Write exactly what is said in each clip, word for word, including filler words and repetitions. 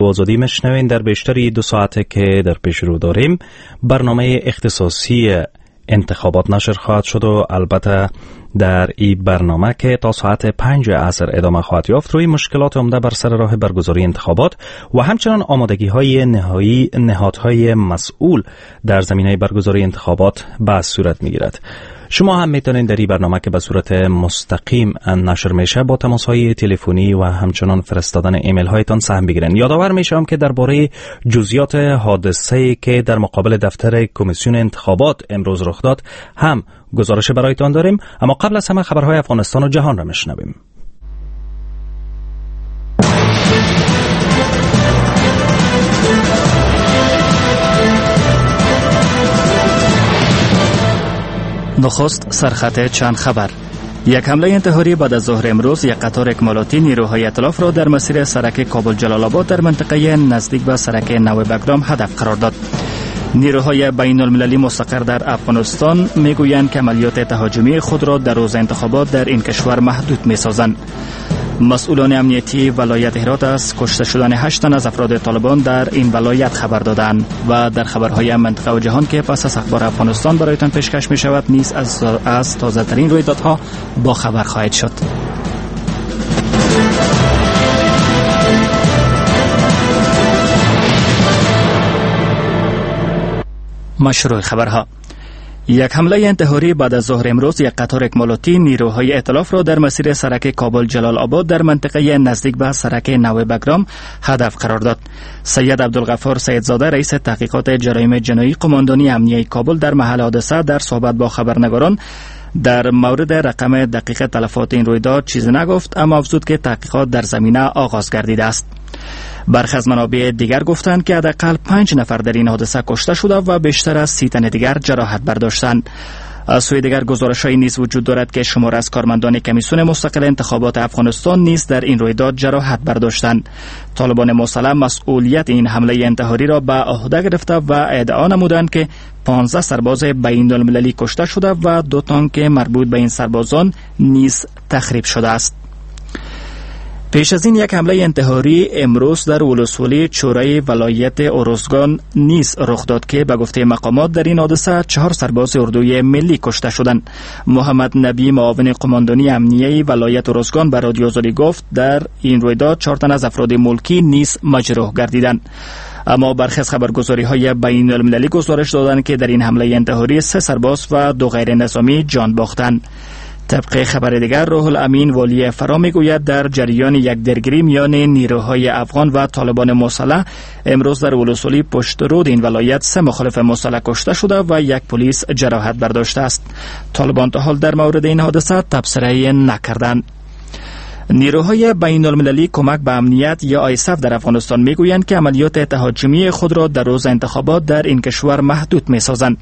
آزادی میشنوین. در بیشتری دو ساعته که در پیش رو داریم برنامه اختصاصی انتخابات نشر خواهد شد و البته در این برنامه که تا ساعت پنج عصر ادامه خواهد یافت روی مشکلات عمده بر سر راه برگزاری انتخابات و همچنان آمادگی های نهایی نهادهای مسئول در زمینه برگزاری انتخابات به صورت میگیرد. شما هم میتونید در این برنامه که به صورت مستقیم نشر میشه با تماس های تلفنی و همچنان فرستادن ایمیل هایتان سهم بگیرین. یادآور میشم که درباره جزئیات حادثه‌ای که در مقابل دفتر کمیسیون انتخابات امروز رخ داد هم گزارش برایتان داریم، اما قبل از همه خبرهای افغانستان و جهان را میشنویم. نخست سرخط چند خبر. یک حمله انتحاری بعد از ظهر امروز یک قطار اکمالاتی نیروهای ائتلاف را در مسیر سرک کابل جلال آباد در منطقه نزدیک به سرک نو بگرام هدف قرار داد. نیروهای بین المللی مستقر در افغانستان میگویند که عملیات تهاجمی خود را در روز انتخابات در این کشور محدود میسازند. مسئولان امنیتی ولایت هرات از کشته شدن هشت تن از افراد طالبان در این ولایت خبر دادند. و در خبرهای منطقه و جهان که پس از اخبار افغانستان برایتان پیشکش می شود نیز از, از تازه ترین رویدادها با خبر خواهید شد. مشروع خبرها. یک حمله انتحاری بعد از ظهر امروز یک قطار اکمالاتی نیروهای ائتلاف را در مسیر سرک کابل جلال آباد در منطقه نزدیک به سرک نو بگرام هدف قرار داد. سید عبدالغفار سیدزاده رئیس تحقیقات جرایم جنایی قماندانی امنیه کابل در محل حادثه در صحبت با خبرنگاران در مورد رقم دقیق تلفات این رویداد چیزی نگفت، اما افزود که تحقیقات در زمینه آغاز گردیده است. برخی از منابع دیگر گفتند که حداقل پنج نفر در این حادثه کشته شده و بیشتر از سی تن دیگر جراحت برداشتند. از سوی دیگر گزارش‌هایی نیز وجود دارد که شمار از کارمندان کمیسیون مستقل انتخابات افغانستان نیز در این رویداد جراحت برداشتند. طالبان مسلح مسئولیت این حمله انتحاری را به عهده گرفته و ادعا نمودند که پانزده سرباز بین المللی کشته شده و دو تانک مربوط به این سربازان نیز تخریب شده است. پیش از این یک حمله انتحاری امروز در ولسوالی چورای ولایت ارزگان نیز رخ داد که به گفته مقامات در این حادثه چهار سرباز اردوی ملی کشته شدند. محمد نبی معاون قماندانی امنیه ولایت ارزگان به رادیو آزادی گفت در این رویداد چهار تن از افراد ملکی نیز مجروح گردیدند. اما برخی از خبرگزاری‌های بین المللی گزارش دادند که در این حمله انتحاری سه سرباز و دو غیر نظامی جان باختند. طبق خبر دیگر روح الامین والی فرا میگوید در جریان یک درگیری میان نیروهای افغان و طالبان مسلح امروز در ولسوالی پشت رود این ولایت سه مخالف مسلح کشته شده و یک پلیس جراحت برداشته است. طالبان تا حال در مورد این حادثه تبصره نکردند. نیروهای بین المللی کمک به امنیت یا آیسف در افغانستان میگویند که عملیات تهاجمی خود را در روز انتخابات در این کشور محدود میسازند.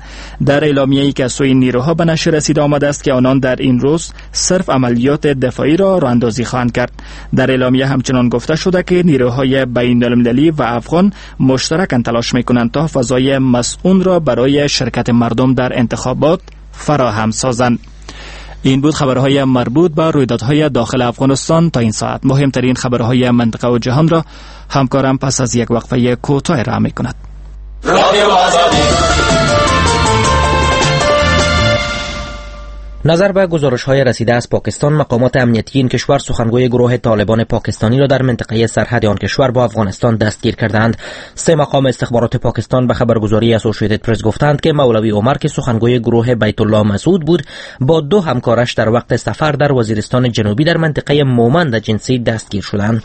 در اعلامیه‌ای که از سوی نیروها به نشر رسیده آمده است که آنان در این روز صرف عملیات دفاعی را راه اندازی خواهند کرد. در اعلامیه همچنان گفته شده که نیروهای بین المللی و افغان مشترکاً تلاش میکنند تا فضای مسئول را برای شرکت مردم در انتخابات فراهم سازند. این بود خبرهای مربوط به رویدادهای داخل افغانستان تا این ساعت. مهمترین خبرهای منطقه و جهان را همکارم پس از یک وقفه کوتاه ارائه می‌کند. نظر به گزارش‌های رسیده از پاکستان، مقامات امنیتی این کشور سخنگوی گروه طالبان پاکستانی را در منطقه سرحد آن کشور با افغانستان دستگیر کردند. سه مقام استخبارات پاکستان به خبرگزاری اسوسییتد پرس گفتند که مولوی عمر که سخنگوی گروه بیت الله مسعود بود، با دو همکارش در وقت سفر در وزیرستان جنوبی در منطقه مومند جنسی دستگیر شدند.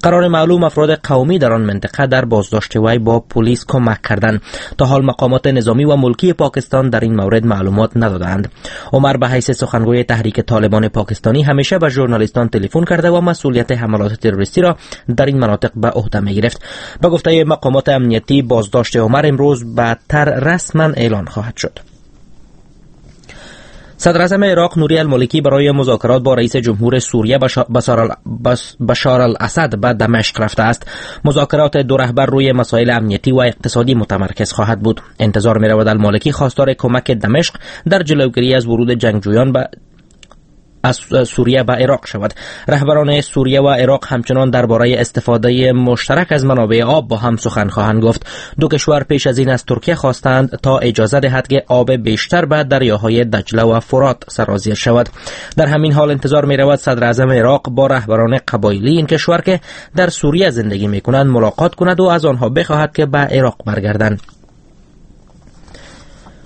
قرار معلوم افراد قومی در آن منطقه در بازداشت وی با پلیس کمک کردند. تا حال مقامات نظامی و ملکی پاکستان در این مورد معلومات ندادند. عمر به حیث سخنگوی تحریک طالبان پاکستانی همیشه به ژورنالیستان تلفن کرده و مسئولیت حملات تروریستی را در این مناطق به عهده می گرفت. به گفته مقامات امنیتی، بازداشت عمر امروز بعدتر رسما اعلان خواهد شد. صدر اعظم عراق نوری المالکی برای مذاکرات با رئیس جمهور سوریه بشار الاسد به دمشق رفته است. مذاکرات دو رهبر روی مسائل امنیتی و اقتصادی متمرکز خواهد بود. انتظار می‌رود المالکی خواستار کمک دمشق در جلوگیری از ورود جنگجویان به از سوریه به عراق شود. رهبران سوریه و عراق همچنان درباره استفاده مشترک از منابع آب با هم سخن خواهند گفت. دو کشور پیش از این از ترکیه خواستند تا اجازه دهد که آب بیشتر به دریاهای دجله و فرات سرازیر شود. در همین حال انتظار می رود صدر اعظم عراق با رهبران قبایلی این کشور که در سوریه زندگی می کنند ملاقات کند و از آنها بخواهد که به عراق برگردند.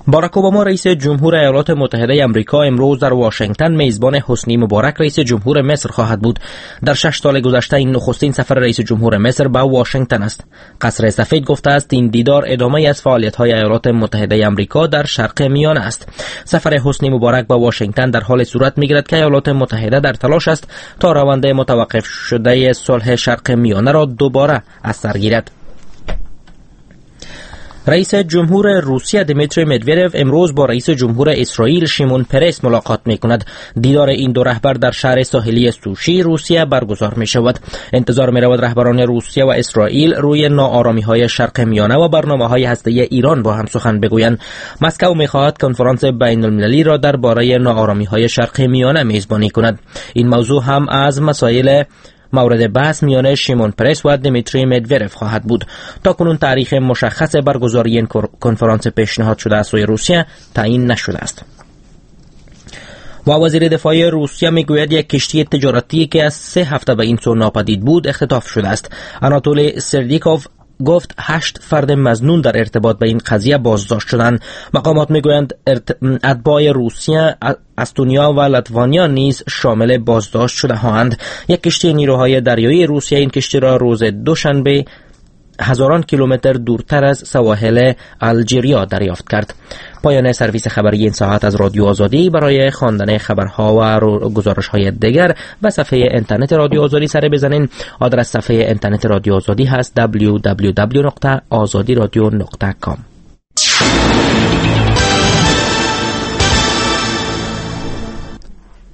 باراک اوباما رئیس جمهور ایالات متحده آمریکا امروز در واشنگتن میزبان حسنی مبارک رئیس جمهور مصر خواهد بود. در شش سال گذشته این نخستین سفر رئیس جمهور مصر به واشنگتن است. قصر سفید گفته است این دیدار ادامه از فعالیت‌های ایالات متحده آمریکا در شرق میانه است. سفر حسنی مبارک به واشنگتن در حال صورت می‌گیرد که ایالات متحده در تلاش است تا روند متوقف شده صلح شرق میانه را دوباره از سر گیرد. رئیس جمهور روسیه دیمیتری مدویدف امروز با رئیس جمهور اسرائیل شیمون پرس ملاقات می کند. دیدار این دو رهبر در شهر ساحلی سوشی روسیه برگزار می شود. انتظار می رود رهبران روسیه و اسرائیل روی ناآرامی های شرق میانه و برنامه های هسته‌ای ایران با هم سخن بگویند. مسکو می خواهد کنفرانس بین المللی را درباره ناآرامی های شرق میانه میزبانی کند. این موضوع هم از مسائل مورد بحث میان شیمون پرس و دیمیتری مدویدف خواهد بود. تا کنون تاریخ مشخص برگزاری این کنفرانس پیشنهاد شده از سوی روسیه تعیین نشده است. و وزیر دفاع روسیه میگوید یک کشتی تجارتی که از سه هفته به این سو ناپدید بود اختطاف شده است. آناتولی سردیکوف گفت هشت فرد مظنون در ارتباط به این قضیه بازداشت شدند. مقامات میگویند اتباع روسیه، استونیا و لتوانیا نیز شامل بازداشت شده هاند. یک کشتی نیروهای دریایی روسیه این کشتی را روز دوشنبه هزاران کیلومتر دورتر از سواحل الجیریا دریافت کرد. پایان سرویس خبری این ساعت از رادیو آزادی. برای خواندن خبرها و گزارش‌های دیگر به صفحه اینترنت رادیو آزادی سر بزنین. آدرس صفحه اینترنت رادیو آزادی هست دبلیو دبلیو دبلیو نقطه آزادی رادیو نقطه کام.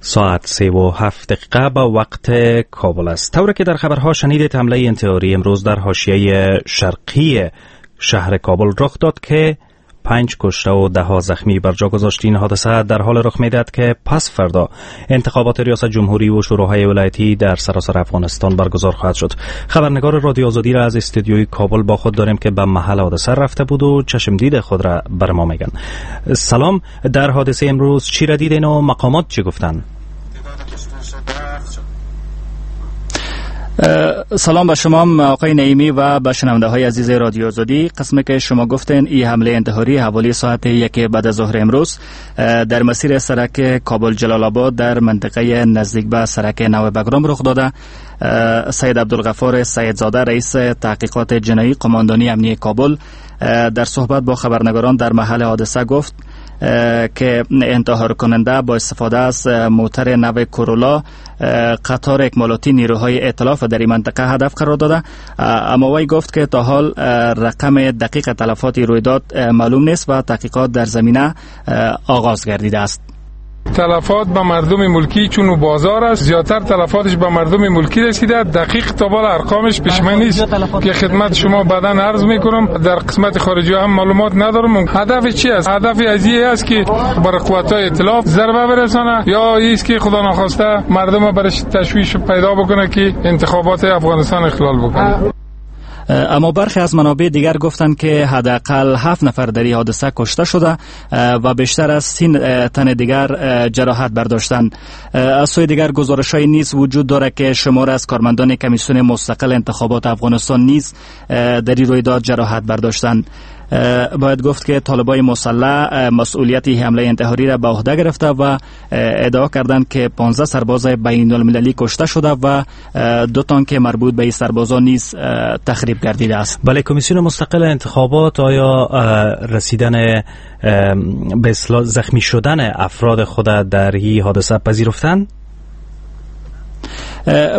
ساعت سه و هفت دقیقه با وقت کابل است. طوری که در خبرها شنیدید حمله انتحاری امروز در حاشیه شرقی شهر کابل رخ داد که پنج کشته و ده ها زخمی بر جا گذاشت. این حادثه در حال رخ می‌دهد که پس فردا انتخابات ریاست جمهوری و شوراهای ولایتی در سراسر افغانستان برگزار خواهد شد. خبرنگار رادیو آزادی را از استودیوی کابل با خود داریم که به محل حادثه رفته بود و چشم دید خود را بر ما میگن. سلام، در حادثه امروز چی را دیدین و مقامات چی گفتن؟ سلام به شما آقای نعیمی و به شنونده های عزیز رادیو آزادی. قسمی که شما گفتین این حمله انتحاری حوالی ساعت یک بعد از ظهر امروز در مسیر سرک کابل جلال آباد در منطقه نزدیک به سرک نو بگرام رخ داده. سید عبدالغفار سیدزاده رئیس تحقیقات جنایی قماندانی امنیه کابل در صحبت با خبرنگاران در محل حادثه گفت که انتحار کننده با استفاده از موتر نو کرولا قطار اکمالاتی نیروهای ائتلاف در این منطقه هدف قرار داده. اما وی گفت که تا حال رقم دقیق تلفات رویداد معلوم نیست و تحقیقات در زمینه آغاز گردیده است. تلفات به مردم ملکی چون بازار است، زیادتر تلفاتش به مردم ملکی رسیده. دقیق تا بالا ارقامش پیش من نیست که خدمت شما بعداً عرض میکنم. در قسمت خارجی هم معلومات ندارم. هدف چی است؟ هدف از این است که بر قوت‌های ائتلاف ضربه برسانه یا است که خدا ناخواسته مردم برش تشویش پیدا بکنه که انتخابات افغانستان اخلال بکنه. اما برخی از منابع دیگر گفتند که حداقل هفت نفر در این حادثه کشته شده و بیشتر از سی تن دیگر جراحت برداشتند. از سوی دیگر گزارش‌های نیز وجود دارد که شمار از کارمندان کمیسیون مستقل انتخابات افغانستان نیز در این رویداد جراحت برداشتند. باید گفت که طالبای مسلح مسئولیت حمله انتحاری را به عهده گرفته و ادعا کردند که پانزده سرباز بین المللی کشته شده و دو تانک مربوط به این سربازان نیز تخریب گردیده است. بله، کمیسیون مستقل انتخابات آیا رسیدن به زخمی شدن افراد خود در این حادثه پذیرفتند؟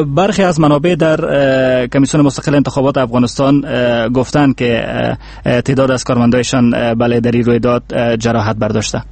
برخی از منابع در کمیسیون مستقل انتخابات افغانستان گفتند که تعداد از کارمندایشان بله در این رویداد جراحت برداشته.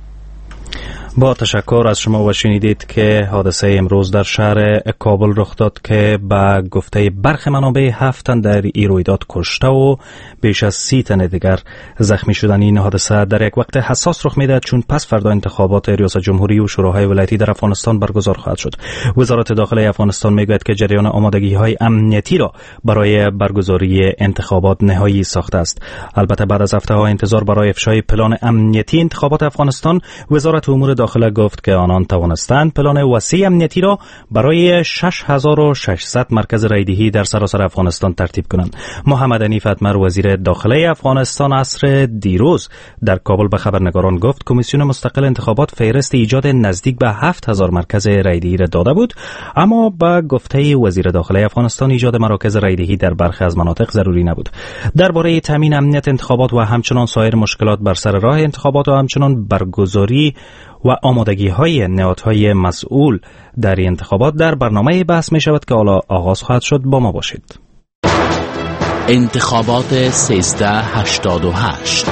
با تشکر از شما و شنیدید که حادثه امروز در شهر کابل رخ داد که به گفته برخی منابع هفت تن در این رویداد کشته و بیش از سی تن دیگر زخمی شدن. این حادثه در یک وقت حساس رخ میدهد چون پس فردا انتخابات ریاست جمهوری و شوراهای ولایتی در افغانستان برگزار خواهد شد. وزارت داخله افغانستان میگوید که جریان آمادگی های امنیتی را برای برگزاری انتخابات نهایی ساخته است. البته بعد از هفته ها انتظار برای افشای پلان امنیتی انتخابات افغانستان، وزارت امور داخله گفت که آنان توانستند پلان وسیع امنیتی را برای شش هزار و ششصد مرکز رایدهی در سراسر افغانستان ترتیب کنند. محمد حنیف اتمر وزیر داخله افغانستان عصر دیروز در کابل به خبرنگاران گفت کمیسیون مستقل انتخابات فهرست ایجاد نزدیک به هفت هزار مرکز رایدهی را داده بود، اما به گفته وزیر داخله افغانستان ایجاد مراکز رایدهی در برخی از مناطق ضروری نبود. درباره تامین امنیت انتخابات و همچنان سایر مشکلات بر سر راه انتخابات و همچنان برگزاری و آمادگی های نهادهای مسئول در انتخابات در برنامه بحث می شود که حالا آغاز خواهد شد. با ما باشید. انتخابات سیزده هشتاد و هشت.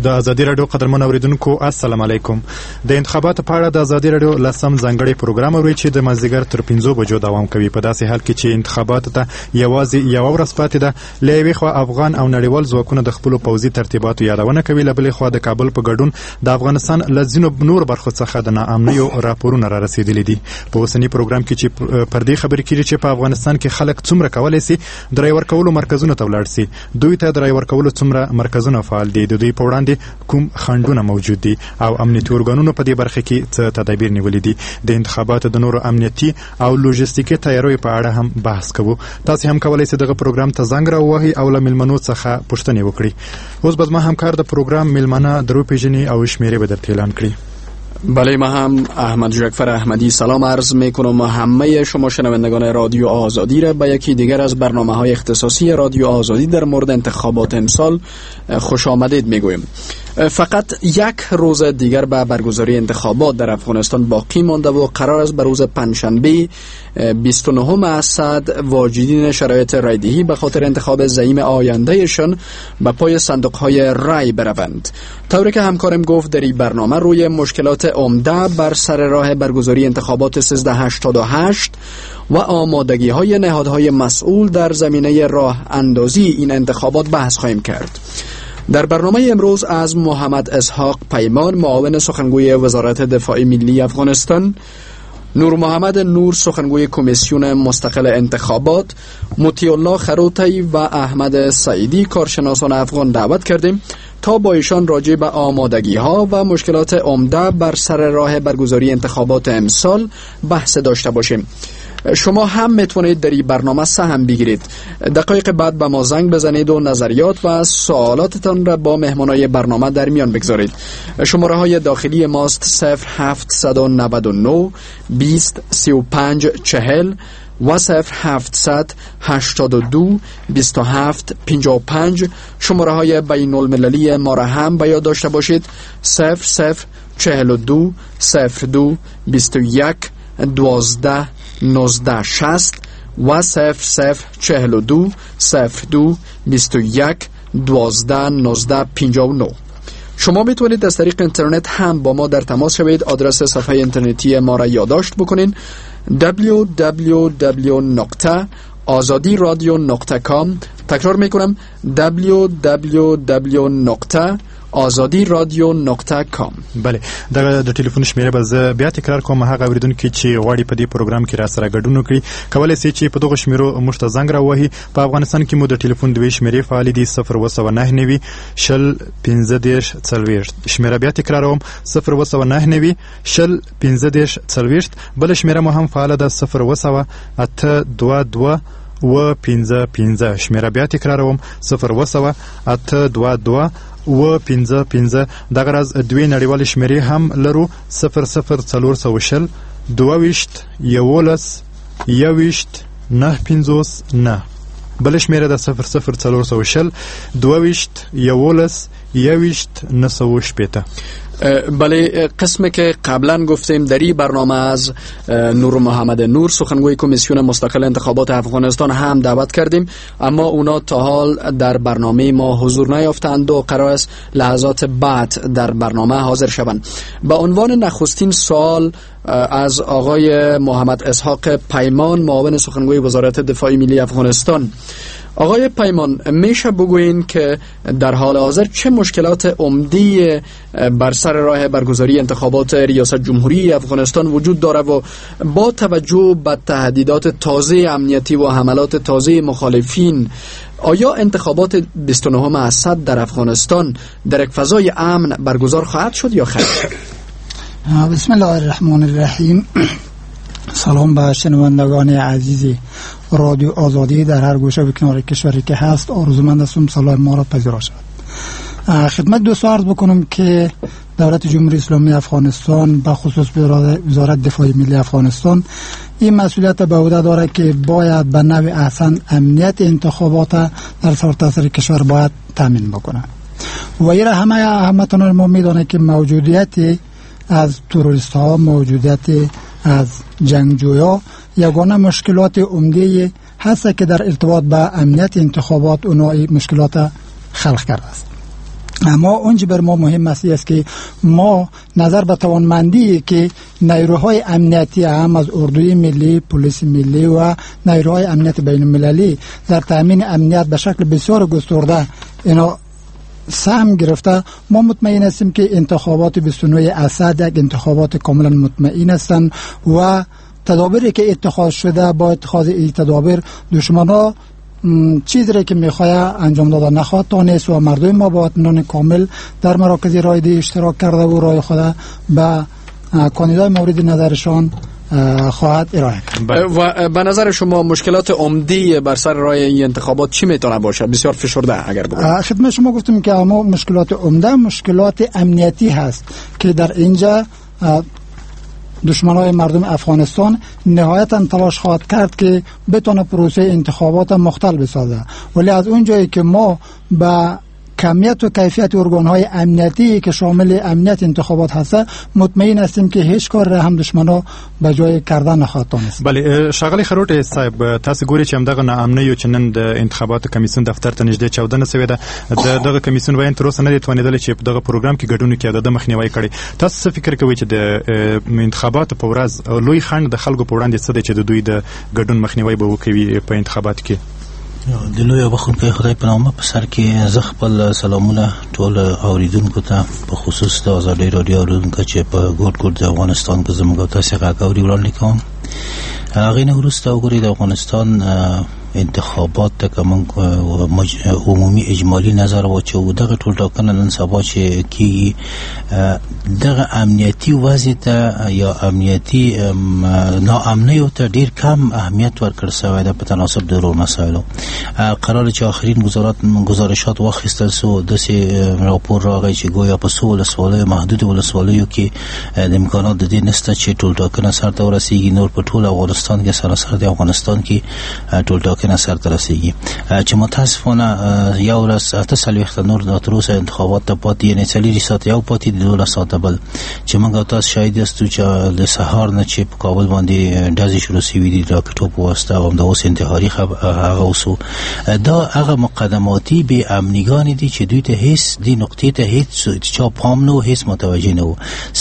د ازادي راډیو قدرمن اوریدونکو، السلام علیکم. د انتخاباتو په اړه د ازادي راډیو لسم ځانګړی پروګرام اورئ چې د مازدیګر تر پنځو بجو دوام کوي. په داسې حال کې چې انتخاباتو ته یوازې یوه ورځ پاتې ده، له یوې خوا افغان او نړیوال ځواکونه د خپلو پوځي ترتیباتو یادونه کوي، له بلې خوا د کابل په ګډون د افغانستان له ځینو نور برخو څخه د ناامنیو راپورونه را رسېدلي دي. په اوسني پروګرام کې چې پر دې خبرې کیږي چې په افغانستان کې خلک څومره کولی سي د رای ورکولو مرکزونو ته ولاړ سي، دوی ته د رای ورکولو څومره مرکزونه فعال دي، د دوی په وړاندې کوم خنډونه موجود دي او امنیتي ارګانونو په دې برخه کې څه تدابیر نیولي دي. د انتخاباتو د نورو امنیتي او لوژستیکي تیاریو په اړه هم بحث کوو. تاسو هم کولای شئ دغه پروګرام ته زنګ راووهئ او له میلمنو څخه پوښتنې وکړئ. اوس به زما همکار د پروګرام میلمانه دروپیژني او شمیرې به درته اعلان کړي. بله، ما هم احمد جعفر احمدی سلام عرض میکنم همه شما شنوندگان رادیو آزادی را به یکی دیگر از برنامه های اختصاصی رادیو آزادی در مورد انتخابات امسال خوش آمدید میگویم. فقط یک روز دیگر به برگزاری انتخابات در افغانستان باقی مانده و قرار است به روز پنجشنبه بیست و نهم اسد واجدین شرایط رایدهی به خاطر انتخاب زعیم آیندهشان به پای صندوق‌های رای بروند. طوری که همکارم گفت در این برنامه روی مشکلات عمده بر سر راه برگزاری انتخابات سیزده هشتاد و هشت و آمادگی های نهادهای مسئول در زمینه راه اندازی این انتخابات بحث خواهیم کرد. در برنامه امروز از محمد اسحاق پیمان، معاون سخنگوی وزارت دفاع ملی افغانستان، نور محمد نور سخنگوی کمیسیون مستقل انتخابات، مطیع الله خروتی و احمد سعیدی کارشناسان افغان دعوت کردیم تا با ایشان راجع به آمادگی ها و مشکلات عمده بر سر راه برگزاری انتخابات امسال بحث داشته باشیم. شما هم میتونید در این برنامه سهم بگیرید. دقایق بعد به ما زنگ بزنید و نظریات و سوالاتتان را با مهمانای برنامه در میان بگذارید. شماره های داخلی ماست صفر هفت نه نه بیست سی و پنج چهل و صفر هفت هشت دو بیست و هفت پنجاه و پنج. شماره های بین المللی ما را هم به یاد داشته باشید: صفر صفر چهل و دو صفر دو بیست و یک دوازده نوزده شصت و صفر صفر چهل و دو صفر دو بیست و یک دوازده نوزده پنجاه و نه. شما میتونید از طریق اینترنت هم با ما در تماس شوید. آدرس صفحه اینترنتی ما را یادداشت بکنین: دبلیو دبلیو دبلیو نقطه آزادی رادیو نقطه کام. تکرار میکنم: دبلیو دبلیو دبلیو نقطه آزادی رادیو نقطه کام. بله، دغه د ټلیفون شمیره به زه بیا تکرار کوم. هغه اوریدونکي چې غواړي په دې پروګرام کې را سره ګډون وکړي کولای شي چې په دغو شمیرو موږ ته زنګ راوهي. په افغانستان کې مو د ټلیفون دوې شمیرې فعالې دي: صفر اووه سوه نهه نوي شل پنځه دېرش څلوېښت. شمیره بیا تکراروم: صفر اووه سوه نهه نوي شل پنځه دېرش څلوېښت. بله شمیره مو هم فعاله ده: صفر اووه سوه اته دوه دوه و پنځه پنځه. شمیره بیا تکراروم: صفر اووه سوه اته دوه دوه و پنځه پنځه. دغه راز دوې نړیوالې شمیرې هم لرو: صفر صفر څلور سوه شل دوه ویشت یوولس یوویشت نهه پنځوس نه. بله شمیره ده: صفر صفر څلور سوه شل دوه ویشت یوولس یوویشت نهه سوه شپېته. بله، قسمی که قبلا گفتیم در این برنامه از نور محمد نور سخنگوی کمیسیون مستقل انتخابات افغانستان هم دعوت کردیم، اما اونا تا حال در برنامه ما حضور نیافتند و قرار است لحظات بعد در برنامه حاضر شوند. به عنوان نخستین سوال از آقای محمد اسحاق پیمان، معاون سخنگوی وزارت دفاع ملی افغانستان، آقای پیمان، میشه بگویین که در حال حاضر چه مشکلات عمده بر سر راه برگزاری انتخابات ریاست جمهوری افغانستان وجود داره و با توجه به تهدیدات تازه امنیتی و حملات تازه مخالفین، آیا انتخابات بیست و نهم اسد در افغانستان در یک فضای امن برگزار خواهد شد یا خیر؟ بسم الله الرحمن الرحیم. سلام به شنوندگان عزیز رادیو آزادی در هر گوشه و کنار کشوری که هست. آرزومند هستم سلام ما را پذیرا شود. خدمت دوستان عرض بکنم که دولت جمهوری اسلامی افغانستان به خصوص وزارت دفاع ملی افغانستان این مسئولیت به عهده داره که باید به نوع احسن امنیت انتخابات در سرتاسر کشور باید تامین بکنه و این همه همتون ما میدانه که موجودیت از تروریست ها، موجودیت از جنگجویا یگانه مشکلات عمده هست که در ارتباط به امنیت انتخابات اونا مشکلات خلق کرده است. اما اونچه بر ما مهم است است که ما نظر به توانمندی که نیروهای امنیتی هم از اردوی ملی، پلیس ملی و نیروهای امنیت بین المللی در تامین امنیت به شکل بسیار گسترده اینا سهم گرفته، ما مطمئن هستیم که انتخابات بیست و نه اسد یک انتخابات کاملا مطمئن هستند و تدابیری که اتخاذ شده با اتخاذ این تدابیر دشمن‌ها چیزی را که میخواه انجام داده نخواهد تانست و مردم ما با اطمینان کامل در مراکز رای‌دهی اشتراک کرده و رای خود به کاندیدای مورد نظرشان خواهد ارائه کرد. و به نظر شما مشکلات عمده بر سر راه این انتخابات چی میتونه باشه؟ بسیار فشرده اگر بگم. خدمت شما گفتم که اما مشکلات عمده مشکلات امنیتی هست که در اینجا دشمنای مردم افغانستان نهایتا تلاش خواهد کرد که بتونه پروسه انتخابات مختل بسازه، ولی از اونجایی که ما به کمیت و کیفیت ارگان‌های امنیتی که شامل امنیت انتخابات هست مطمئن هستیم که هیچ کار را هم دشمنا به جای کردن نخواهد توانست. بله، ښاغلی خروټی صاحب، تاسو ګورئ چې همدغه ناامنیو چې نن د انتخاباتو کمیسیون دفتر ته نږدې چاودنه شوې ده، د دغه کمیسیون ویاند تر اوسه نه دی توانېدلی چې په دغه پروګرام کې ګډون وکړي او د مخنیوی کړي. تاسو څه فکر کوئ چې د انتخاباتو په ورځ لوی خنډ د خلکو په وړاندې څه دی چې د دوی د ګډون مخنیوی به وکوي په انتخاباتو کې؟ د لوی او بخښونکي خدای په نامه په سر کې زه خپل سلامونه ټول اوریدونکو ته په خصوص د ازادي راډیو اوریدونکو چې په ګوټ ګوټ د افغانستان کې زموږ تاسو غږ اوري وړاندې کوم. هغې نه وروسته وګورئ د افغانستان انتخابات ته که موږ عمومي اجمالي نظر واچوو، دغه ټولټاکنه نن سبا چې کیږي دغه امنیتي وضع ته یا امنیتي ناامنیو ته ډیر کم اهمیت ورکړ شوی ده په تناسب د نورو مسایلو. قرار چې آخرین گزارشات واخیستل سو، داسې راپور راغی چې ګویا په څو ولسوالیو محدود ولسوالیو کې د امکانات د دې نشته چې ټولټاکنه سرته ورسیږي، نور په ټول افغانستان کې سراسر د افغانستان کې ټولټاکنه سرته رسیږي چې متاسفانه یو ورځ اته څلوېښت نور تر اوسه انتخابات ته پاتې، یعنې څلوېښت ساعته یو پاتې دی، دولس ساعته بل، چې موږ تاسو شاهد یاستو چې د سهار نه چې په کابل باندې ډزې شروع شوې دي راکټو په واسطه او همدا اوس انتحاري هغه اوسو، دا هغه مقدماتي بې امنیګانې دي چې دوی ته هیڅ دې نقطې ته هیڅ چا پام نه و، هیڅ متوجه نه و.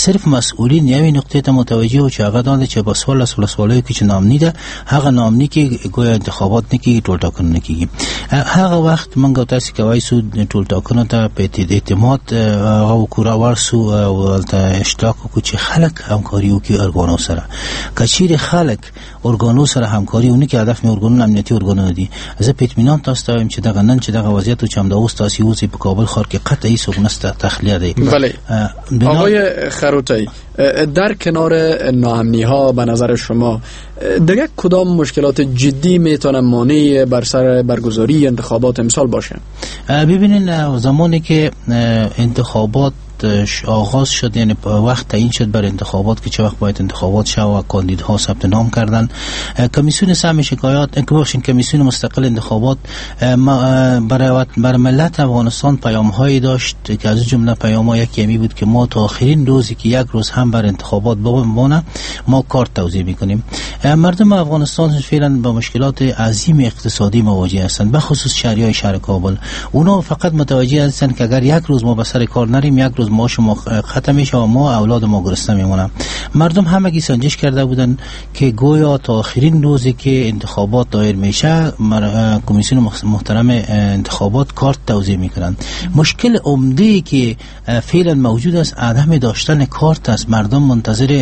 صرف مسئولین یوې نقطې ته متوجه و چې هغه دا ده چې په څوارلس ولسوالیو کې چې ناامني ده، هغه ناامني کې ګویا انتخابات نه کیږي، ټولټاکنه نه کیږي. هغه وخت موږ تاسو کوی سو ټولټاکنو ته په اعتماد هغه وکړو ورسو او هلته اشتراک وکړو چې خلک همکاري وکړي ارګانو سره. که چیرې خلک ارګانو سره همکاري ونه کړي، هدف مې ارګانونه امنیتي ارګانونه دي، زه په اطمینان تاسو ته وایم چې دغه نن چې دغه وضعیت چې همدا اوس تاسو وځئ په کابل ښار کې قطعي څوک نشته، تخلیه دی. بله آقای خروټی، در کنار ناامنی ها به نظر شما دیگه کدام مشکلات جدی میتونه مانع بر سر برگزاری انتخابات امسال باشه؟ ببینین زمانی که انتخابات آغاز شد، یعنی وقت تعیین شد بر انتخابات که چه وقت باید انتخابات شود و کاندیدها ثبت نام کردن، کمیسیون سهم شکایات، کمیسیون مستقل انتخابات برای بر ملت افغانستان پیام‌هایی داشت که از جمله پیام‌ها یکی همی بود که ما تا آخرین روزی که یک روز هم بر انتخابات بمانه ما کارت توزیع می‌کنیم. مردم افغانستان فعلا با مشکلات عظیم اقتصادی مواجه هستند، به خصوص شهریای شهر کابل. اونا فقط متوجه هستند که اگر یک روز ما به سر کار نریم، یک روز معاش ما ختم میشه و ما اولاد ما گرسنه میمونن. مردم همگی سنجش کرده بودن که گویا تا آخرین روزی که انتخابات دایر میشه کمیسیون محترم انتخابات کارت توزیع میکنن. مشکل عمده که فعلا موجود است عدم داشتن کارت است. مردم منتظر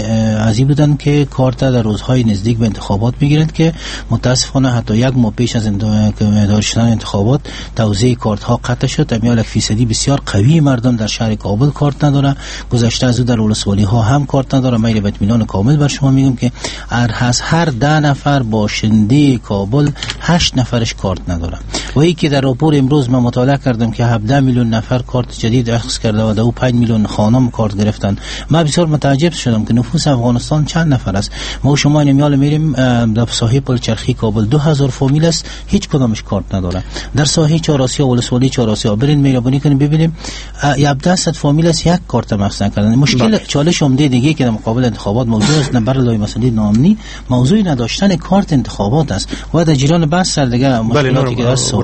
از این بودن که کارت در روزهای نزدیک به انتخابات میگیرند که متاسفانه حتی یک ماه پیش از دایر شدن انتخابات توزیع کارت ها قطع شد. امیال یک فیصدی بسیار قوی مردم در شهر کابل کارت نداره، گذشته از او در ولسوالی ها هم کارت نداره. من به اطمینان کامل بر شما میگم که از هر ده نفر باشنده کابل هشت نفرش کارت نداره. و ای که در راپور امروز من مطالعه کردم که هفده میلیون نفر کارت جدید اخذ کرده و دو پنج میلیون خانم کارت گرفتن. من بسیار متعجب شدم که نفوس افغانستان چند نفر است. ما شما این میال میریم در ساحه پلچرخی کابل دو هزار فامیل است، هیچ کدامش کارت نداره. در ساحه چهارآسیا ولسوالی چهارآسیا برین مهربانی کنیم ببینیم هفده صد فامیل است، یک کارت مخصوص کردن. مشکل چالش عمده دیگه که در مقابل انتخابات موجود است بر لای مسئله ناامنی، موضوع نداشتن کارت انتخابات است و در جریان بحث سر دیگه مشکلاتی که هست.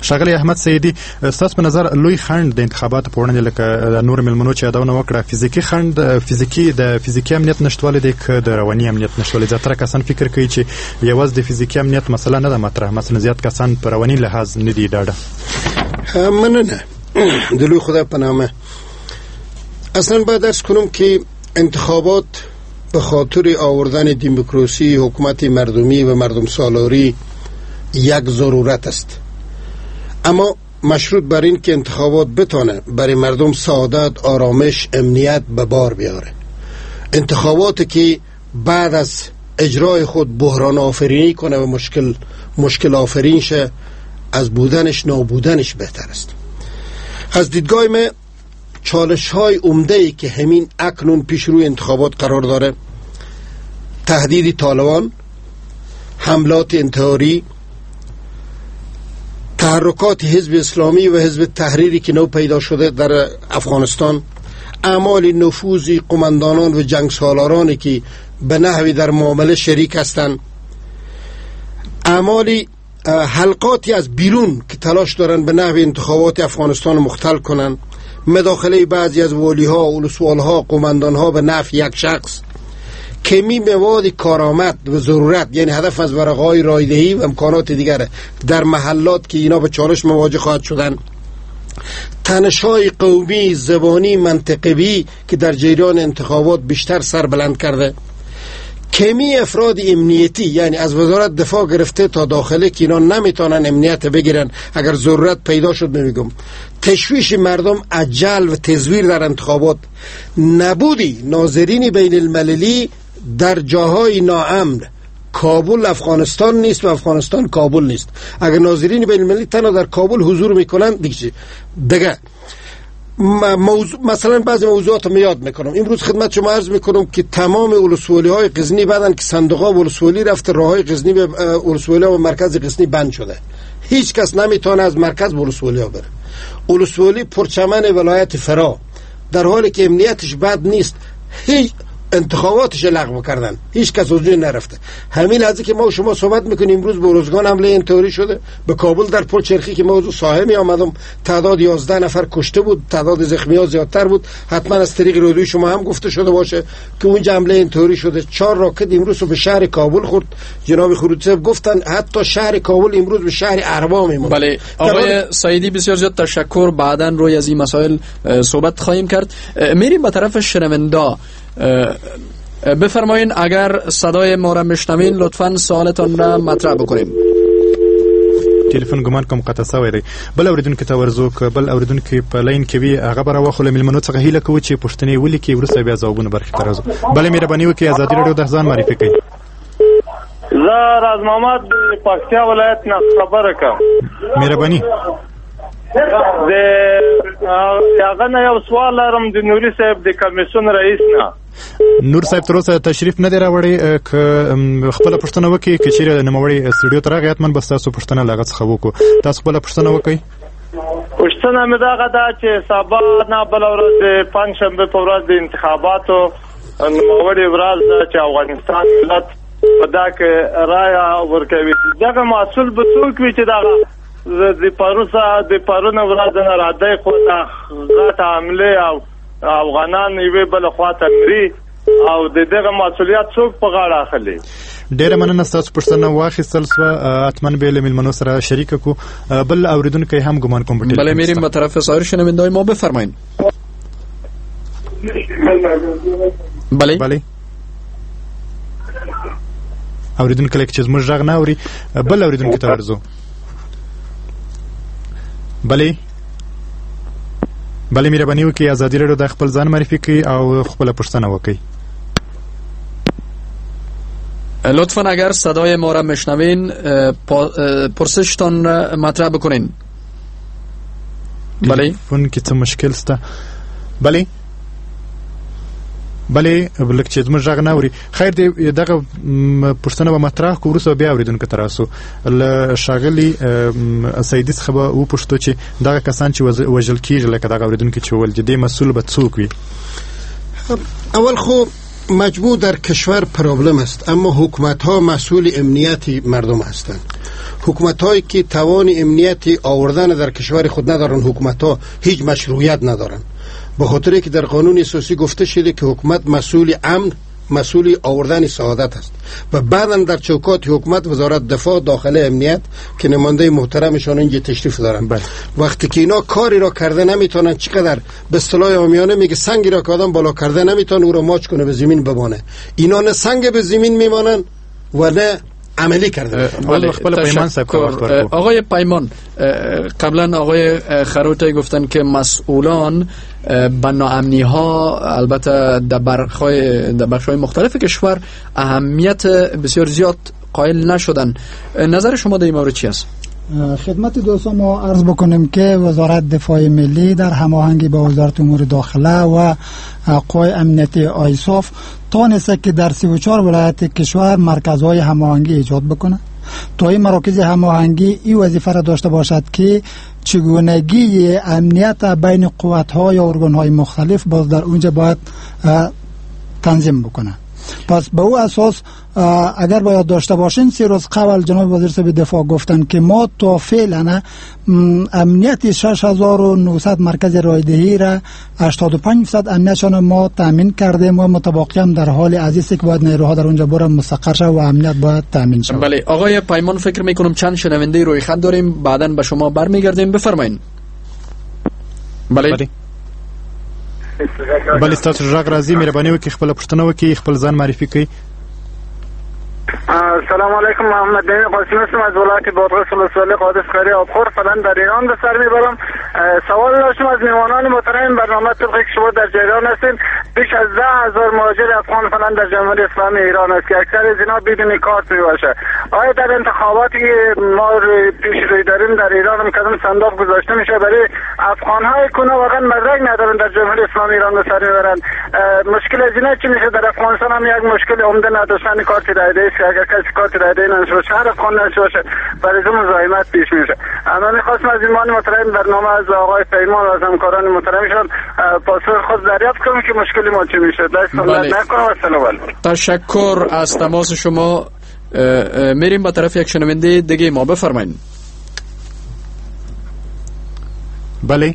ښاغلی احمد سیدی، ستاسو په نظر لوی خنډ د انتخاباتو په وړاندې لکه نور ملمنو چې یادونه وکړه، فزیکي خنډ، فزیکي د فزیکي امنیت نشتوالی دی که د رواني امنیت نشتوالی؟ زیاتره کسان فکر کوي چې یوازې د فزیکي امنیت مسله نه ده مطرح، مثلا زیات کسان په رواني لحاظ نه دي ډاډه. مننه د لوی خدای په نامه. اصلا باید عرض کنم که انتخابات به خاطر آوردن دموکراسی، حکومت مردمی و مردم سالاری یک ضرورت است، اما مشروط بر این که انتخابات بتانه برای مردم سعادت، آرامش، امنیت به بار بیاره. انتخابات که بعد از اجرای خود بحران آفرینی کنه و مشکل مشکل آفرین شه، از بودنش نابودنش بهتر است. از دیدگاه من چالش های عمده ای که همین اکنون پیش روی انتخابات قرار داره، تهدید طالبان، حملات انتحاری، تحرکات حزب اسلامی و حزب تحریری که نو پیدا شده در افغانستان، اعمال نفوذی قماندانان و جنگ سالارانی که به نحوی در معامله شریک هستند، اعمال حلقاتی از بیرون که تلاش دارند به نحو انتخابات افغانستان مختل کنند، مداخله بعضی از والی‌ها، ولسوال‌ها، قماندان‌ها به نفع یک شخص، کمی مواد کارآمد و ضرورت، یعنی هدف از ورقه‌های رایدهی و امکانات دیگر در محلات که اینا به چالش مواجه خواهد شدن، تنش‌های قومی، زبانی، منطقوی که در جریان انتخابات بیشتر سر بلند کرده، کمی افراد امنیتی، یعنی از وزارت دفاع گرفته تا داخله که اینا نمیتونن امنیت بگیرن اگر ضرورت پیدا شد. میگم تشویش مردم، عجل و تزویر در انتخابات، نبودی ناظرین بین المللی در جاهای ناامن. کابل افغانستان نیست و افغانستان کابل نیست. اگر ناظرین بین المللی تنها در کابل حضور میکنن دیگه دیگه موضوع، مثلا بعضی موضوعات رو یاد میکنم. امروز خدمت شما عرض میکنم که تمام ولسوالی های غزنی بعدن که صندوق ها ولسوالی رفته، راه های غزنی به ولسوالی و مرکز غزنی بند شده، هیچ کس نمیتونه از مرکز ولسوالی ها بره. ولسوالی پرچمن ولایت فرا در حالی که امنیتش بد نیست، هیچ انتخاباتش لغو کردن، هیچ کس از نرفته. همین لحظه که ما و شما صحبت میکنیم امروز به روزگان حمله انتحاری شده، به کابل در پل چرخی که ما از ساحه می آمدم تعداد یازده نفر کشته بود، تعداد زخمی ها زیادتر بود. حتما از طریق رادیو شما هم گفته شده باشه که اونجا حمله انتحاری شده. چهار راکت امروز به شهر کابل خورد. جناب خروجی گفتن حتی شهر کابل امروز به شهر اروا میمونه. بله آقای سعیدی بسیار زیاد تشکر، بعداً روی از این مسائل صحبت خواهیم کرد. میریم به طرف شنونده. بفرمایین اگر صدای ما را میشنوین لطفاً سوالتان را مطرح بکنیم. تلیفون ګمان کوم قطع شوی دی. بل اوریدونکو ته ورځو که بل اوریدونکو په لاین کې وي هغه به راوخلو. مېلمنو څخه هیله کوو چې پوښتنې ولیکي، وروسته بیا ځوابونه برخې ته راځو. بله مهرباني وکړئ ازادي راډیو د ځان معرفي کړئ. زه راز محمد د پکتیا ولایت نه خبره کوم. مهرباني. د هغه نه یو سوال لرم د نوري صاحب د کمیسیون رئیس نه. نور صاحب تر اوسه تشریف نه دی راوړی، که خپله پوښتنه وکړي، که چیرې نوموړی سټوډیو ته راغی حتما به ستاسو پوښتنه له هغه څخه وکړو. تاسو خپله پوښتنه وکړئ. پوښتنه مې دغه ده چې سبا نه بله ورځ د پنجشنبې په ورځ د انتخاباتو نوموړې ورځ ده چې افغانستان ملت په دا کې رایه ورکوي، دغه مسؤل به څوک وي چې دغه د پروسه د پرونه ورځ نه را دی خو دا غټه حملې او افغانان یوې بل خواته مري او د دغه مسؤلیت څوک په غاړه اخلي؟ ډیره مننه، ستاسو پوښتنه واخیستل سوه، حتما به له میلمنو سره شریکه کو. بل اوریدونکی هم ګمان کوم. بله میریم به طرف سایر شنونده‌های ما، بفرمایید. بله بله اوریدونکی لکه چې زموږ غږ نه اوري، بل اوریدونکي ته ورځو. بله بله مهرباني وکړئ ازادي راډیو د خپل ځان معرفي کړئ او خپله پوښتنه وکړئ. لطفا اگر صدای ما را میشنوین پرسشتان مطرح بکنین. بله فون کې څه مشکل شته؟ بله بله لکه چې زموږ غږ نه اوري. خیر دی، دغه پوښتنه به مطرح کړو، وروسته بیا اورېدونکو ته راسو. له ښاغلي سیدي څخه به وپوښتو چې دغه کسان چې وژل کیږي، لکه دغه اورېدونکي چې وویل چې دې مسؤل به څوک وي؟ اول خو مجموع در کشور پرابلم است، اما حکومت ها مسئول امنیت مردم هستند. حکومت هایی که توان امنیتی آوردن در کشور خود ندارن، حکومت ها هیچ مشروعیت ندارن، به خاطر که در قانون اساسی گفته شده که حکومت مسئول امن، مسئول آوردن سعادت است و بعدا در چوکات حکومت وزارت دفاع، داخله، امنیت که نماینده محترمشان اینجا تشریف دارن. بله. وقتی که اینا کاری را کرده نمیتونن، چقدر به اصطلاح عامیانه میگه سنگی را که آدم بالا کرده نمیتونه او را ماچ کنه به زمین بمانه، اینا نه سنگ به زمین میمانن و نه عملی کرده. بله، پیمان آقای پیمان، قبلا آقای خروتی گفتن که مسئولان به ناامنی ها البته در برخ‌های در بخش‌های مختلف کشور اهمیت بسیار زیاد قائل نشدن. نظر شما در این مورد چی است؟ خدمت دوستان ما عرض بکنیم که وزارت دفاع ملی در هماهنگی با وزارت امور داخله و قوای امنیتی آیساف تانسته که در سی و چهار ولایت کشور مرکزهای هماهنگی ایجاد بکنه تا این مراکز هماهنگی این وظیفه را داشته باشد که چگونگی امنیت بین قوت‌ها یا ارگان‌های مختلف باز در اونجا باید تنظیم بکنه. پس به او اساس اگر باید داشته باشین، سه روز قبل جناب وزیر صاحب دفاع گفتن که ما تا فعلا امنیت شش هزار و نهصد مرکز رایدهی را هشتاد و پنج درصد امنیتشان ما تامین کردیم و متباقی هم در حال عزیز که باید نیروها در اونجا برن مستقر شود و امنیت باید تامین شود. بله آقای پیمان، فکر میکنم چند شنونده روی خط داریم، بعداً به شما برمیگردیم. بفرمایید. بله بله بله ستاسو غږ راځي، مهرباني وکړئ خپله پوښتنه وکړئ، خپل ځان معرفي کړئ. سلام علیکم، محمد نعیم قاسمی هستم از ولایت بادغیس ولسوالی قادس قریه آبخور، فعلا در ایران به سر میبرم. سوال داشتم از میهمانان محترم برنامه، طبق که شما در جریان هستین بیش از ده هزار مهاجر افغان فعلا در جمهوری اسلامی ایران است که اکثر از اینا بدون کارت میباشه. آیا در انتخاباتی که ما پیش روی داریم در ایران هم کدام صندوق گذاشته میشه برای افغان های که واقعا مدرک ندارن در جمهوری اسلامی ایران به سر میبرن؟ مشکل از اینا چی میشه؟ در افغانستان هم یک مشکل عمده نداشتن کارت رایده است که اگر کسی کارت رایده نداشته باشه، هر افغان نداشته باشه، برای او مزاحمت پیش میشه. من میخواستم از ایمان محترم برنامه، از آقای پیمان و از همکاران محترمشان پاسخ خود دریافت کنم که مشکل ما چی میشه. دست نکنم و سلام علیکم. تشکر از تماس شما. میریم به طرف یک شنونده دیگه ما. بفرمایید. بله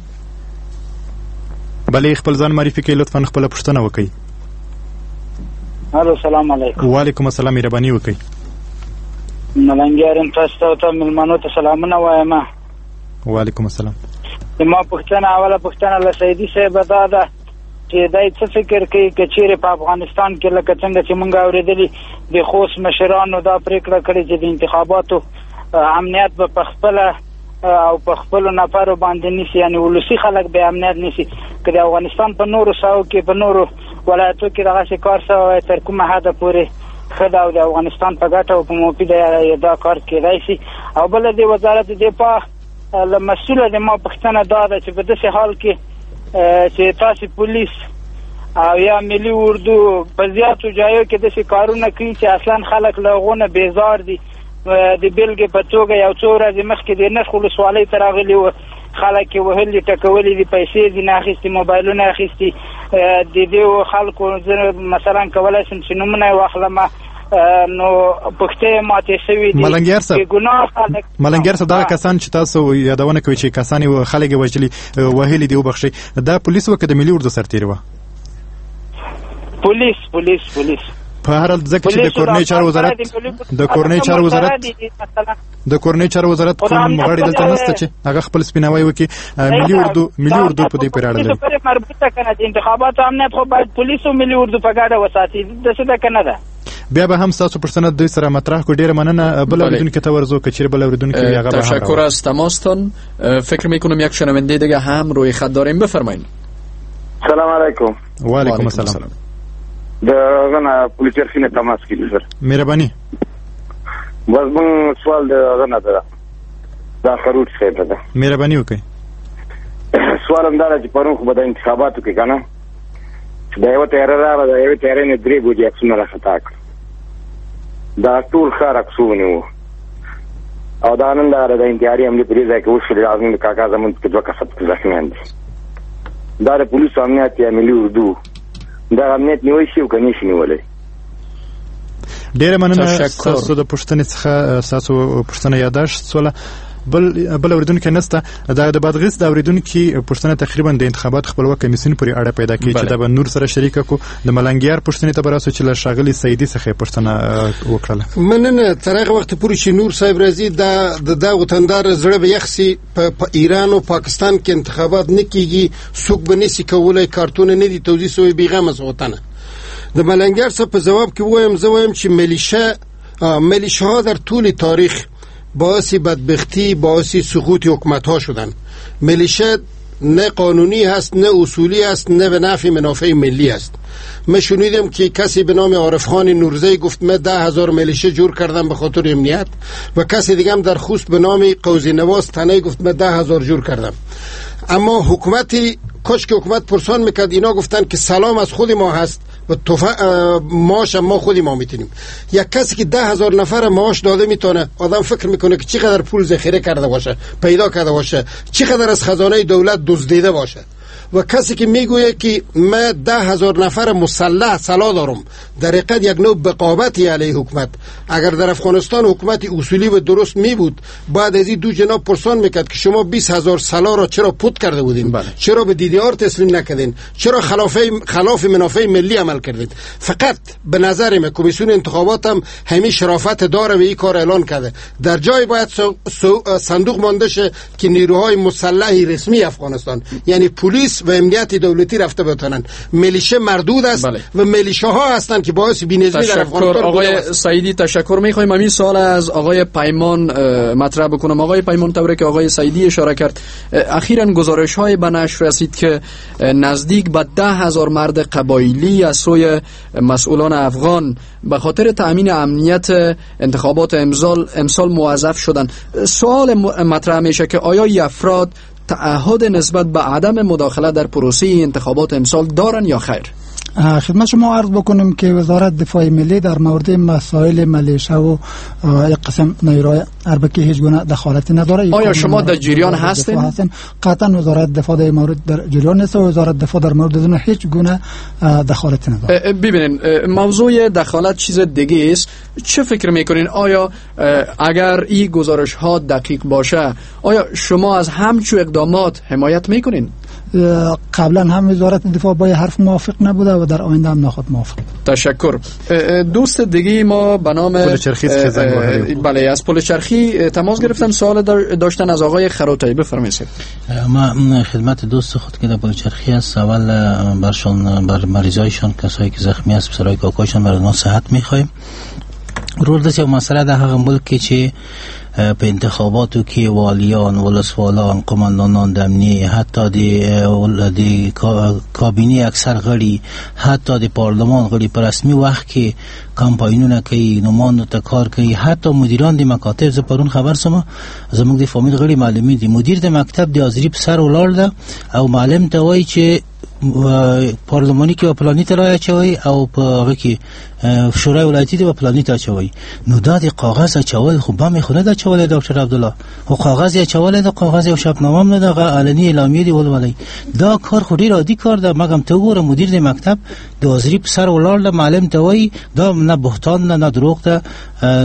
بله خپل ځان معرفي کړئ، لطفاً خپله پوښتنه وکړئ. الو سلام علیکم. وعلیکم السلام، مهرباني وکړئ. ملنګیار یم، تاسو ته او ته میلمنو ته سلامونه وایم. وعلیکم السلام. زما پوښتنه، اوله پوښتنه له سیدي صاحب دا ده چې دی څه فکر کوي که چیرې په افغانستان کې لکه څنګه چې مونږ اورېدلي د خوست مشرانو دا پرېکړه کړې چې د انتخاباتو امنیت به په خپله او په خپلو نفرو باندې نیسي، یعنې ولسي خلک به امنیت نیسي، که د افغانستان په نورو ساحو کې په نورو ولایتو کې دغسې کار سوی وای تر کومه حده پورې ښه ده او د افغانستان په ګټه او په مفید دا کار کېدای سي؟ او بله د وزارت دفاع له مسؤله د ما پوښتنه دا ده چې په داسې حال کې چې تاسې پولیس او یا ملي اردو په زیاتو جایو کې داسې کارونه کوي چې اصلا خلک له هغو نه بیزار دي. د بېلګې په توګه یو څو ورځې مخکې د نرخ ولسوالۍ ته راغلي وو، خلک یې وهلي ټکولي دي، پیسې یې ځینې اخیستي، موبایلونه اخیستي. د دې خلکو زه مثلا کولی شم چې نومونه یې واخلم، نو پښتې ماتې شوې دي. ملنګیار صاحب، بېګناه خلک. ملنګیار صاحب، دا کسان چې تاسو یادونه کوئ چې کسان یې خلک یې وژلي وهلي دي، وبخښئ، دا پولیس وه که د ملي اردو سرتېري وه؟ پولیس پولیس پولیس. په هر حال ځکه چې د کورنیو چارو وزارت د کورنیو چارو وزارت د کورنیو چارو وزارت کوم غړی دلته نشته چې هغه خپل سپیناوی وکړي. ملي اردو ملي اردو په دې پورې اړه لري. پورې مربوطه کنه، د انتخاباتو امنیت خو باید پولیس او ملي اردو په ګډه وساتي، داسې ده که نه ده؟ بیا به هم ستاسو پوښتنه دوی سره مطرح کړو. ډیره مننه. بل اوریدونکي ته ورځو که چیرې بل اوریدونکي وي هغه به هم. تشکر از تماستان. فکر میکنم یک شنونده دیگه هم روی خط داریم. بفرمایید. سلام علیکم. و علیکم السلام. د غنه پولیس چرخي نه تماس کې سر. مهرباني. بس مون سوال د غنه ده دا خروج صاحب ده. مهرباني وکړئ. سوال هم دا چې پرون خو به د انتخاباتو کې کنه چې دا یو تیاره راغله، دا یو تیارې نه درې بوجي عکسونه را خطا کړ، دا ټول ښار عکسونه وو. او دا نن دا د انتحاري حملې په دې ځای کې وشولې، دا زموږ کاکا زموږ کې دوه کسه پکې زخمیان دي. دا د پولیسو امنیت یا ملي اردو دا امنیت نیولی شي او که نه شي نیولی؟ ډېره مننه ستاسو د پوښتنې څخه. ستاسو پوښتنه یاداشت سوله. بل بل اوریدونکي نسته. دا د بادغیس د اوریدونکي پوښتنه تقریبا د انتخابات خپلواک کمیسیون پورې اړه پیدا کوي چې دا به نور سره شریکه کو. د ملنګیار پوښتنې ته به راسو چې له ښاغلي سعیدي څخه یې پوښتنه وکړله. مننه. تر هغه وخته پورې چې نور صاحب راځي دا د دا وطندار زړه به یخ سي. په ایران او پاکستان کې انتخابات نه کیږي، څوک به نسي کولی، کارتونه نه دي توزیع سوي، بیغمه وطنه. د ملنګیار صاحب په ځواب کې ووایم، زه وایم چې ملیشه ملیشه ها در طول تاریخ باعث بدبختی، باعث سقوط حکومت ها شدن. ملیشه نه قانونی هست، نه اصولی است، نه به نفع منافع ملی است. من شنیدم که کسی به نام عارف خان نورزی گفت من ده هزار ملیشه جور کردم به خاطر امنیت، و کسی دیگه هم در خوست به نام قوزی نواز تنه گفت من ده هزار جور کردم. اما حکومتی کاش که حکومت پرسان میکرد، اینا گفتن که سلام از خود ما هست و تف... معاش ما خودی ما میتونیم. یک کسی که ده هزار نفر معاش داده میتونه، آدم فکر میکنه که چقدر پول ذخیره کرده باشه، پیدا کرده باشه، چقدر از خزانه دولت دزدیده باشه. و کسی که میگوید که من ده هزار نفر مسلح سلاح دارم، در حقیقت یک نوع بقاوتی علیه حکومت. اگر در افغانستان حکومت اصولی و درست می بود، بعد از این دو جناب پرسان میکرد که شما بیست هزار سلاح را چرا پوت کرده بودین؟ بله. چرا به دی دی آر تسلیم نکردین؟ چرا خلاف خلاف منافع ملی عمل کردید؟ فقط به نظر من کمیسیون انتخابات هم همین شرافت داره و این کار اعلان کرده. در جای باید سو سو صندوق مانده شه که نیروهای مسلح رسمی افغانستان، یعنی پلیس و امنیت دولتی رفته بتونن. ملیشه مردود است. بله. و ملیشه ها هستند که باعث بی‌نظمی در افغانستان. آقای سعیدی تشکر می‌خوایم. همین سوال از آقای پیمان مطرح بکنم. آقای پیمان، طوری که آقای سعیدی اشاره کرد، اخیراً گزارش‌های به نشر رسید که نزدیک به ده هزار مرد قبایلی از سوی مسئولان افغان به خاطر تأمین امنیت انتخابات امسال امسال موظف شدند. سوال مطرح میشه که آیا این افراد تعهد نسبت به عدم مداخله در پروسه انتخابات امسال دارن یا خیر؟ خدمت شما عرض بکنم که وزارت دفاع ملی در مورد مسائل ملیشه و یک قسم نیروی اربکی هیچ گونه دخالتی نداره. آیا شما در جریان هستین؟ قطعا وزارت دفاع در مورد در جریان نیست و وزارت دفاع در مورد ازون هیچ گونه دخالتی نداره. ببینین، موضوع دخالت چیز دیگه است. چه فکر میکنین؟ آیا اگر این گزارش ها دقیق باشه، آیا شما از همچو اقدامات حمایت میکنین؟ قبلا هم وزارت دفاع با حرف موافق نبوده و در آینده هم نخواهد موافق. تشکر. دوست دیگه ما به نام پل چرخی بله از پل چرخی تماس گرفتم، سوال داشتن از آقای خروتایی. بفرمایید. ما خدمت دوست خود که در پل چرخی است، اول برشان بر مریضایشان، کسایی که زخمی است، پسرای کاکایشان، برای ما صحت میخوایم. رول داسې یو مسله ده هغه ملک کې چې په انتخاباتو کې والیان، ولسوالان، قومندانان د امنیې، حتی د د کابینې اکثر غړي، حتی د پارلمان غړي په رسمي وخت کې کمپاینونه کوي، نوماندو ته کار کوي، حتی مدیران د مکاتب. زه پرون خبر سم زموږ د فامیل غړي معلمین دي، مدیر د مکتب د حاضري په سر ولاړ ده او معلم ته وایي چې پارلمانی کې پلانی ته رای اچوي او په هغه کې شورای ولایتي دی پلانی ته اچوي. نو دا د کاغذ اچول خو بم خو نه ده اچولی ډاکټر عبدالله، خو کاغذ یې اچولی ده، کاغذ یو شپنامه هم نه ده، هغه علني اعلامیې دي ولولئ. دا کار خو ډېر عادي کار ده. مګم ته وګوره مدیر د مکتب د حاضري په سر ولاړ ده، معلم ته وایي دا نه بهتان نه نه دروغ ده،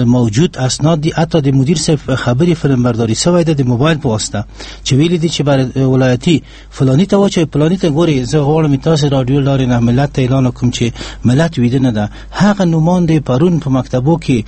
موجود اسناد دي. حتی د مدیر صاحب خبرې فلم برداري سوی ده د موبایل په واسطه چې ویلي دي چې بر ولایتي فلانی ته واچوي، فلانی ته ګوري. زه غواړم تاسو رادیو لارې نه ملت ته اعلان وکړم چې ملت ویده نه ده. هغه نوماند پرون په مکتبو کې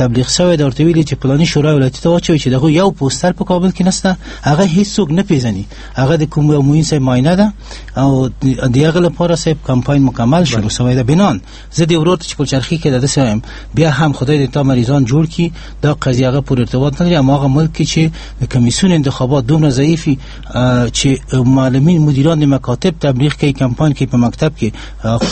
تبلیغ شوی ده، ورته ویلي چې فلانی شورای ولایتي ته واچوي چې دغه یو پوستر په کابل کې نشته، هغه هیڅوک نه پیژني، هغه د کوم یو معین صاحب معاینه ده او د هغه لپاره صاحب کمپاین مکمل شروع شوی ده. بنان زه د ورور ته چې پلچرخي کې ده داسې وایم، بیا هم خدای دې تا مریضان جوړ کړي، دا قضیه هغه پورې ارتباط نه لري. اما هغه ملک کې چې د کمیسیون انتخابات دومره ضعیفي چې معلمین مدیران د مکاتب تبلیغ کوي، کمپاین کوي په مکتب کې،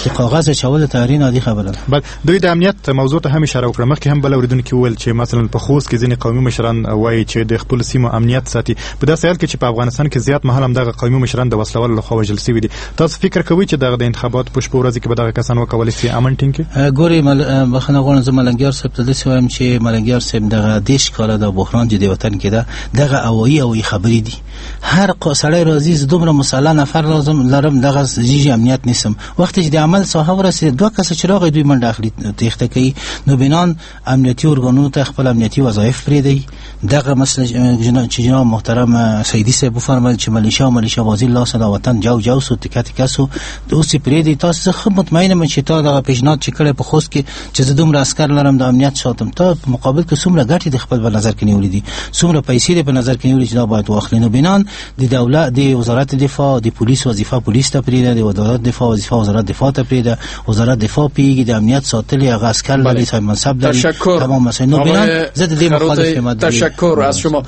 د کاغذ اچول تحریر عادي خبره ده. بل دوی د امنیت موضوع ته هم اشاره وکړه. مخکې هم بل اوریدونکي وویل چې مثلا په خوست کې ځینې قومي مشران وایي چې د خپل سیمو امنیت ساتي، په داسې حال کې چې په افغانستان کې زیات مهال هم دغه قومي مشران د وسلهوالو لخوا وژل شوي دي. تاسو فکر کوئ چې دغه د انتخاباتو په شپو ورځو کې به دغه کسان وکولای شي امن ټینګ کړي؟ ګوري بخښنه غواړم، زه ملنګیار صاحب ته داسې وایم چې ملنګیار صاحب دغه دېرش کاله د بحران چې د وطن کې ده، دغه اوایي اوایي خبرې دي. هر سړی راځي زه دومره مسلح نفر لازم لرم، دغه جیجی امنیت نیسم. وقتی چې د عمل ساحه ورسېده دوه کسه چې راغی دوی منډه اخلي تېښته کوي. نو بنان امنیتي ارګانونو ته خپل امنیتي وظایف پرېږدي. دغه مثلا چې جناب محترم سیدي صاحب وفرمایل چې ملیشه او ملیشه بازی لاس د وطن جو جو سو تکه تکه سو، اوس یې پرېږدي. تاسو ښه مطمئن یم چې تا دغه پیشنهاد چې کړی په خوست کې چې زه دومره عسکر لرم د امنیت ساتم، تا په مقابل کې څومره ګټې د خپل په نظر کې نیولې دي، څومره پیسې دې په نظر کې نیولې چې دا باید واخلې. نو بنان د دولت د وزارت دفاع د پولیس وظیفه پولیس ته پرېږده، د وزارت دفاع وظیفه وزارت دفاع ته پرېږده، وزارت دفاع پیږي د امنیت ساتلې هغه عسکر لري، صاحب منصب لري، تمام مسائل. نو بنان زه د دې مخالف یم. تشکر از شما.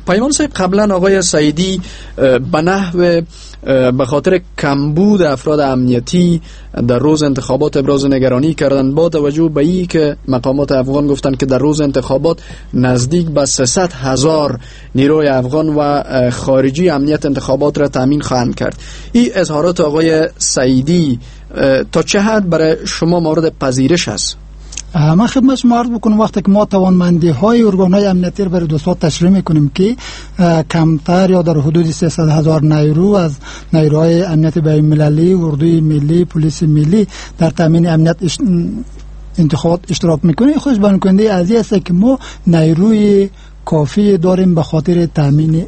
پیمان صاحب، قبلا آقای سعیدی به نحو به خاطر کمبود افراد امنیتی در روز انتخابات ابراز نگرانی کردند، با توجه به این که مقامات افغان گفتند که در روز انتخابات نزدیک به سیصد هزار نیروی افغان و خارجی امنیت انتخابات را تامین خواهند کرد. این اظهارات آقای سعیدی تا چه حد برای شما مورد پذیرش است؟ من خدمت شما عرض بکنم وقتی که ما توانمندی های ارگان های امنیتی رو برای دوستان تشریح میکنیم که کمتر یا در حدود سیصد هزار نیرو از نیروهای امنیت بین المللی، اردوی ملی، پلیس ملی در تامین امنیت انتخابات اشتراک میکنه، خوش بیان کننده از این است که ما نیروی کافی داریم به خاطر تامین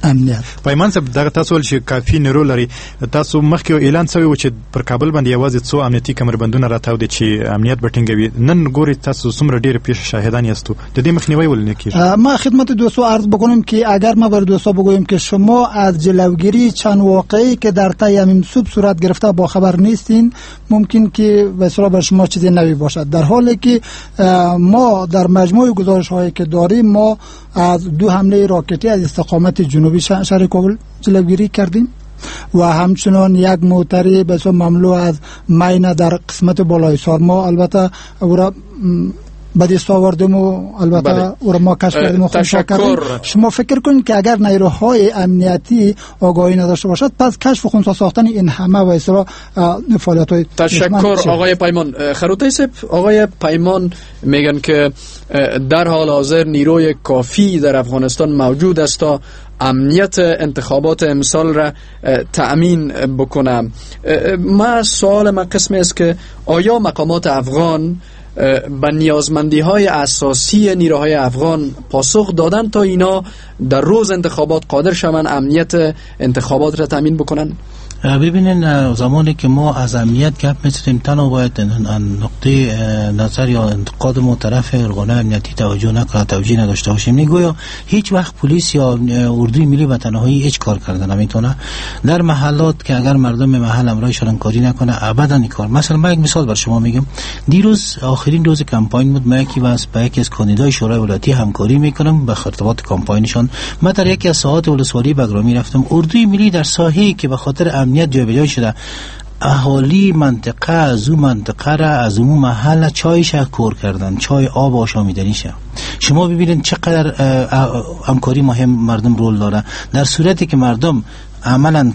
امنیت. پیمان صاحب، دغه تاسو ول چې کافي نیرو لري، تاسو مخکې اعلان شوی و چې پر کابل باندې یوازې څو امنیتي کمربندونه راتاو دي چې امنیت به ټینګوي. نن ګوري تاسو څومره ډېر پیښ شاهدان یاستو، د دې مخنیوی ولې نه کیږي؟ ما خدمت دوستو عرض بکنم که اگر ما بر دوستا بگویم که شما از جلوگیری چند واقعی که در طی همین صبح صورت گرفته با خبر نیستین، ممکن که به اصطلاح بر شما چیز نوی باشد، در حالی که ما در مجموع گزارش هایی که داریم ما از دو حمله راکتی از استقامت جنوبی شهر کابل جلوگیری کردیم و همچنان یک موتری به صورت مملو از ماین در قسمت بالای سارما البته او را به دست آوردیم و البته او را ما کشف کردیم و خنثی کردیم. شما فکر کنید که اگر نیروهای امنیتی آگاهی نداشته باشد پس کشف و خنثی ساختن این همه و اصطلاح فعالیت‌های. تشکر آقای پیمان. خروتی صاحب، آقای پیمان میگن که در حال حاضر نیروی کافی در افغانستان موجود است تا امنیت انتخابات امسال را تأمین بکنم. ما سوال ما قسمی است که آیا مقامات افغان به نیازمندی های اساسی نیروهای افغان پاسخ دادن تا اینا در روز انتخابات قادر شوند امنیت انتخابات را تأمین بکنن؟ ببینین زمانی که ما از امنیت گپ میزنیم تنها باید نقطه نظر یا انتقاد ما طرف ارگان امنیتی توجه نکنه، توجیه نداشته باشیم. نگویا هیچ وقت پلیس یا اردوی ملی به تنهایی هیچ کار کرده نمیتونه در محلات که اگر مردم محل امرایشان همکاری نکنه ابدا این کار. مثلا من یک مثال بر شما میگم، دیروز آخرین روز کمپاین بود، من یکی از با یکی از کاندیدای شورای ولایتی همکاری میکنم به ارتباط کمپاینشان. من در یکی از ساعات ولسوالی بگرامی رفتم، اردوی ملی در ساحه‌ای که به خاطر امنیت جابجا شده، اهالی منطقه از اون منطقه را از اون محل چایش کور کردن، چای آب آشامیدنیشه. شما ببینید چقدر همکاری مهم مردم رول داره. در صورتی که مردم عملا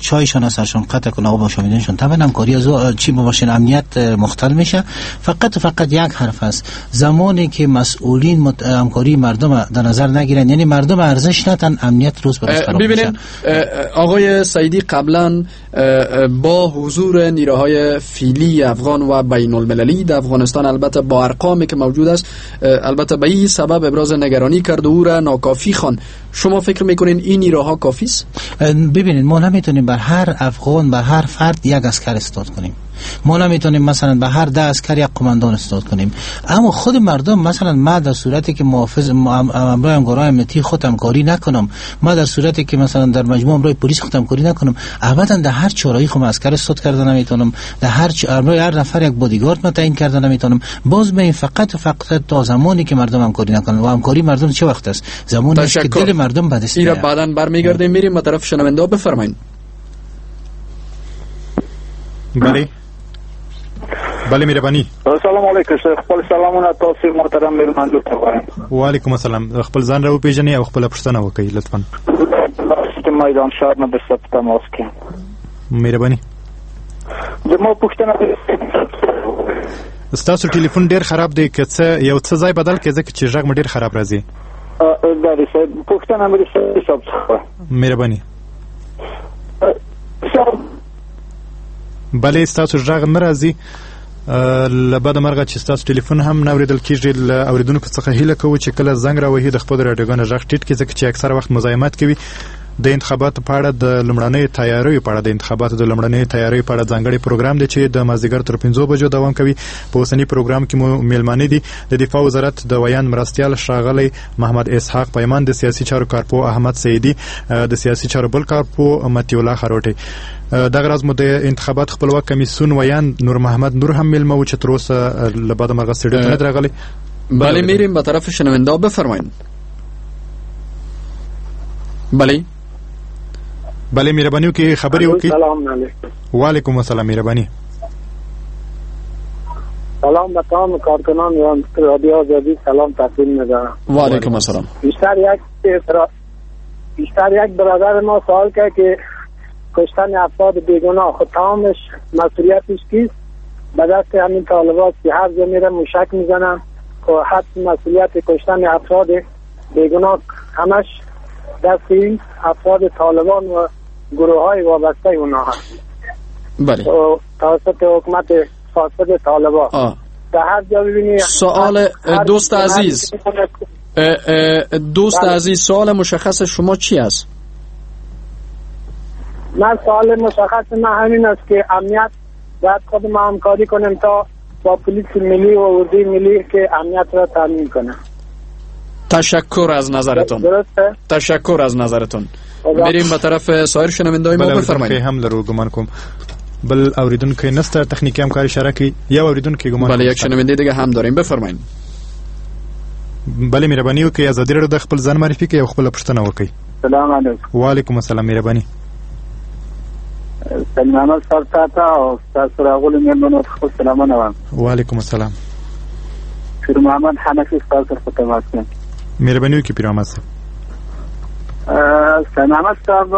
چایشان از سرشان قطع کنه، آب آشامیدنشان، طبعا همکاری از چی باشین امنیت مختل میشه. فقط و فقط یک حرف است، زمانی که مسئولین همکاری مردم در نظر نگیرن، یعنی مردم ارزش ندن، امنیت روز به روز خراب میشه. ببینید آقای سعیدی قبلا با حضور نیروهای فیلی افغان و بین المللی در افغانستان، البته با ارقامی که موجود است، البته به این سبب ابراز نگرانی کرد و او را ناکافی خواند. شما فکر میکنین این نیروها کافی است؟ ببینید ما نمیتونیم بر هر افغان، بر هر فرد یک عسکر استاد کنیم. ما نمیتونیم مثلا به هر ده عسکر یک قماندان استاد کنیم. اما خود مردم، مثلا ما در صورتی که محافظ امرای همکارای امنیتی خود همکاری نکنم، ما در صورتی که مثلا در مجموع امرای پلیس خود همکاری نکنم، ابدا در هر چارایی خود عسکر استاد کرده نمیتونم، در هر امرای هر نفر یک بادیگارد ما تعیین کرده نمیتونم. باز به فقط و فقط تا زمانی که مردم همکاری نکنن. و همکاری مردم چه وقت است؟ زمانی که دل مردم به دست میاد. بعداً برمیگردیم، میریم به طرف شنونده. بفرمایید. بله بله مهرباني. السلام علیکم خپل سلامونه تاسو محترم میرمندو ته وایم. وعلیکم السلام. خپل ځان را وپیژنئ او خپل پوښتنه وکړئ لطفاً. د میدان شهر نه درسره په تماس کې. مهرباني. زما پوښتنه، ستاسو ټلیفون ډیر خراب دی، که څه یو څه ځای بدل کړئ ځکه چې غږ مو ډیر خراب راځي. بله صاحب، پوښتنه مې صاحب څخه. مهرباني. بله ستاسو غږ نه راځي. له بده مرغه چې ستاسو ټلیفون هم نه اورېدل کېږي. له اورېدونکو څخه هیله کوو چې کله زنګ راوهي د خپل راډیوګانو غږ ټیټ کړي، ځکه چې اکثره وخت مزاحمت کوي. د انتخاباتو په اړه د لومړنیو تیاریو په اړه د انتخاباتو د لومړنیو تیاریو په اړه ځانګړی پروګرام دی چې د مازدیګر تر پنځو بجو دوام کوي. په اوسني پروګرام کې مو میلمانه دي د دفاع وزارت د ویاند مرستیال ښاغلی محمد اسحاق پیمان، د سیاسي چارو کارپوه احمد سعیدي، د سیاسي چارو بل کارپوه مطیع الله خروټی. دغه راز مو د انتخابات خپلواک کمیسیون ویاند نور محمد نور هم میلمه و چې تر اوسه له بده مرغه سټډیو ته نه دی راغلی. بله میریم به طرف شنونده. بفرمایید. بله بله مهرباني وکړئ خبرې وکړئ. سلام علیکم. وعلیکم السلام. مهرباني. سلام به تمام کارکنان رادیو آزادی سلام تقدیم می‌دارم. و علیکم السلام. بیشتر یک بیشتر یک برادر ما سوال کرد که کشتن افراد بیگناه خود تمامش مسئولیتش کیست؟ به دست همین طالبات که هر جا میره موشک میزنن که حتی مسئولیت کشتن افراد بیگناه همش دست این افراد طالبان و گروه های وابسته اونا هست. بله. توسط حکومت فاسد طالبان. در هر جا ببینی. سوال دوست عزیز، دوست عزیز، سوال مشخص شما چی است؟ من سوال مشخص من همین است که امنیت باید خود ما همکاری کنیم تا با پلیس ملی و اردوی ملی که امنیت را تامین کنه. تشکر از نظرتون. درسته؟ تشکر از نظرتون. میریم به طرف سایر شنونده‌های ما. بفرمایید. هم لرو ګمان کوم بل اوریدونکی نشته، تخنیکی همکار اشاره کوي. یو اوریدونکی ګمان. بله یک شنونده دیگه هم داریم. بفرمایید. بله مهرباني وکړئ ازادي راډیو د خپل ځان معرفي کوي او خپل پوښتنه وکړئ. سلام علیکم. وعلیکم السلام. مهرباني. سلام صاحب ته او تاسو راغلو مېلمنو ته خپل سلامونه وایم. وعلیکم السلام. پیر محمد حنفي ستاسو سره په تماس کې. مهرباني وکړئ پیر محمد صاحب. سلام صاحب،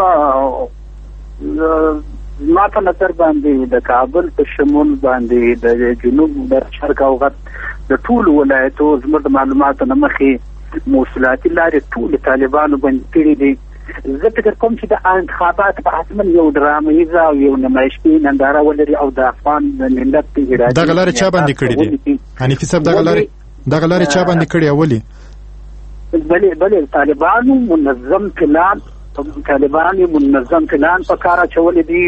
ما په نظر باندې د کابل په شمول باندې د جنوب د شرق او غرب د ټولو ولایتو زموږ د معلوماتو له مخې مواصلاتي لارې ټول طالبانو بند کړي دي. زه فکر کوم چې د انتخابات به حتما یو ډرامهییزه او یو نمایشي ننداره ولري او د افغان ملت اراده. دغه لارې چا باندې کړې دي حنیفي صاحب؟ دغه لارې دغه لارې چا باندې کړې؟ اولی بله بله طالبانو منظم پلان طالبان یې منظم پلان په کار اچولی دی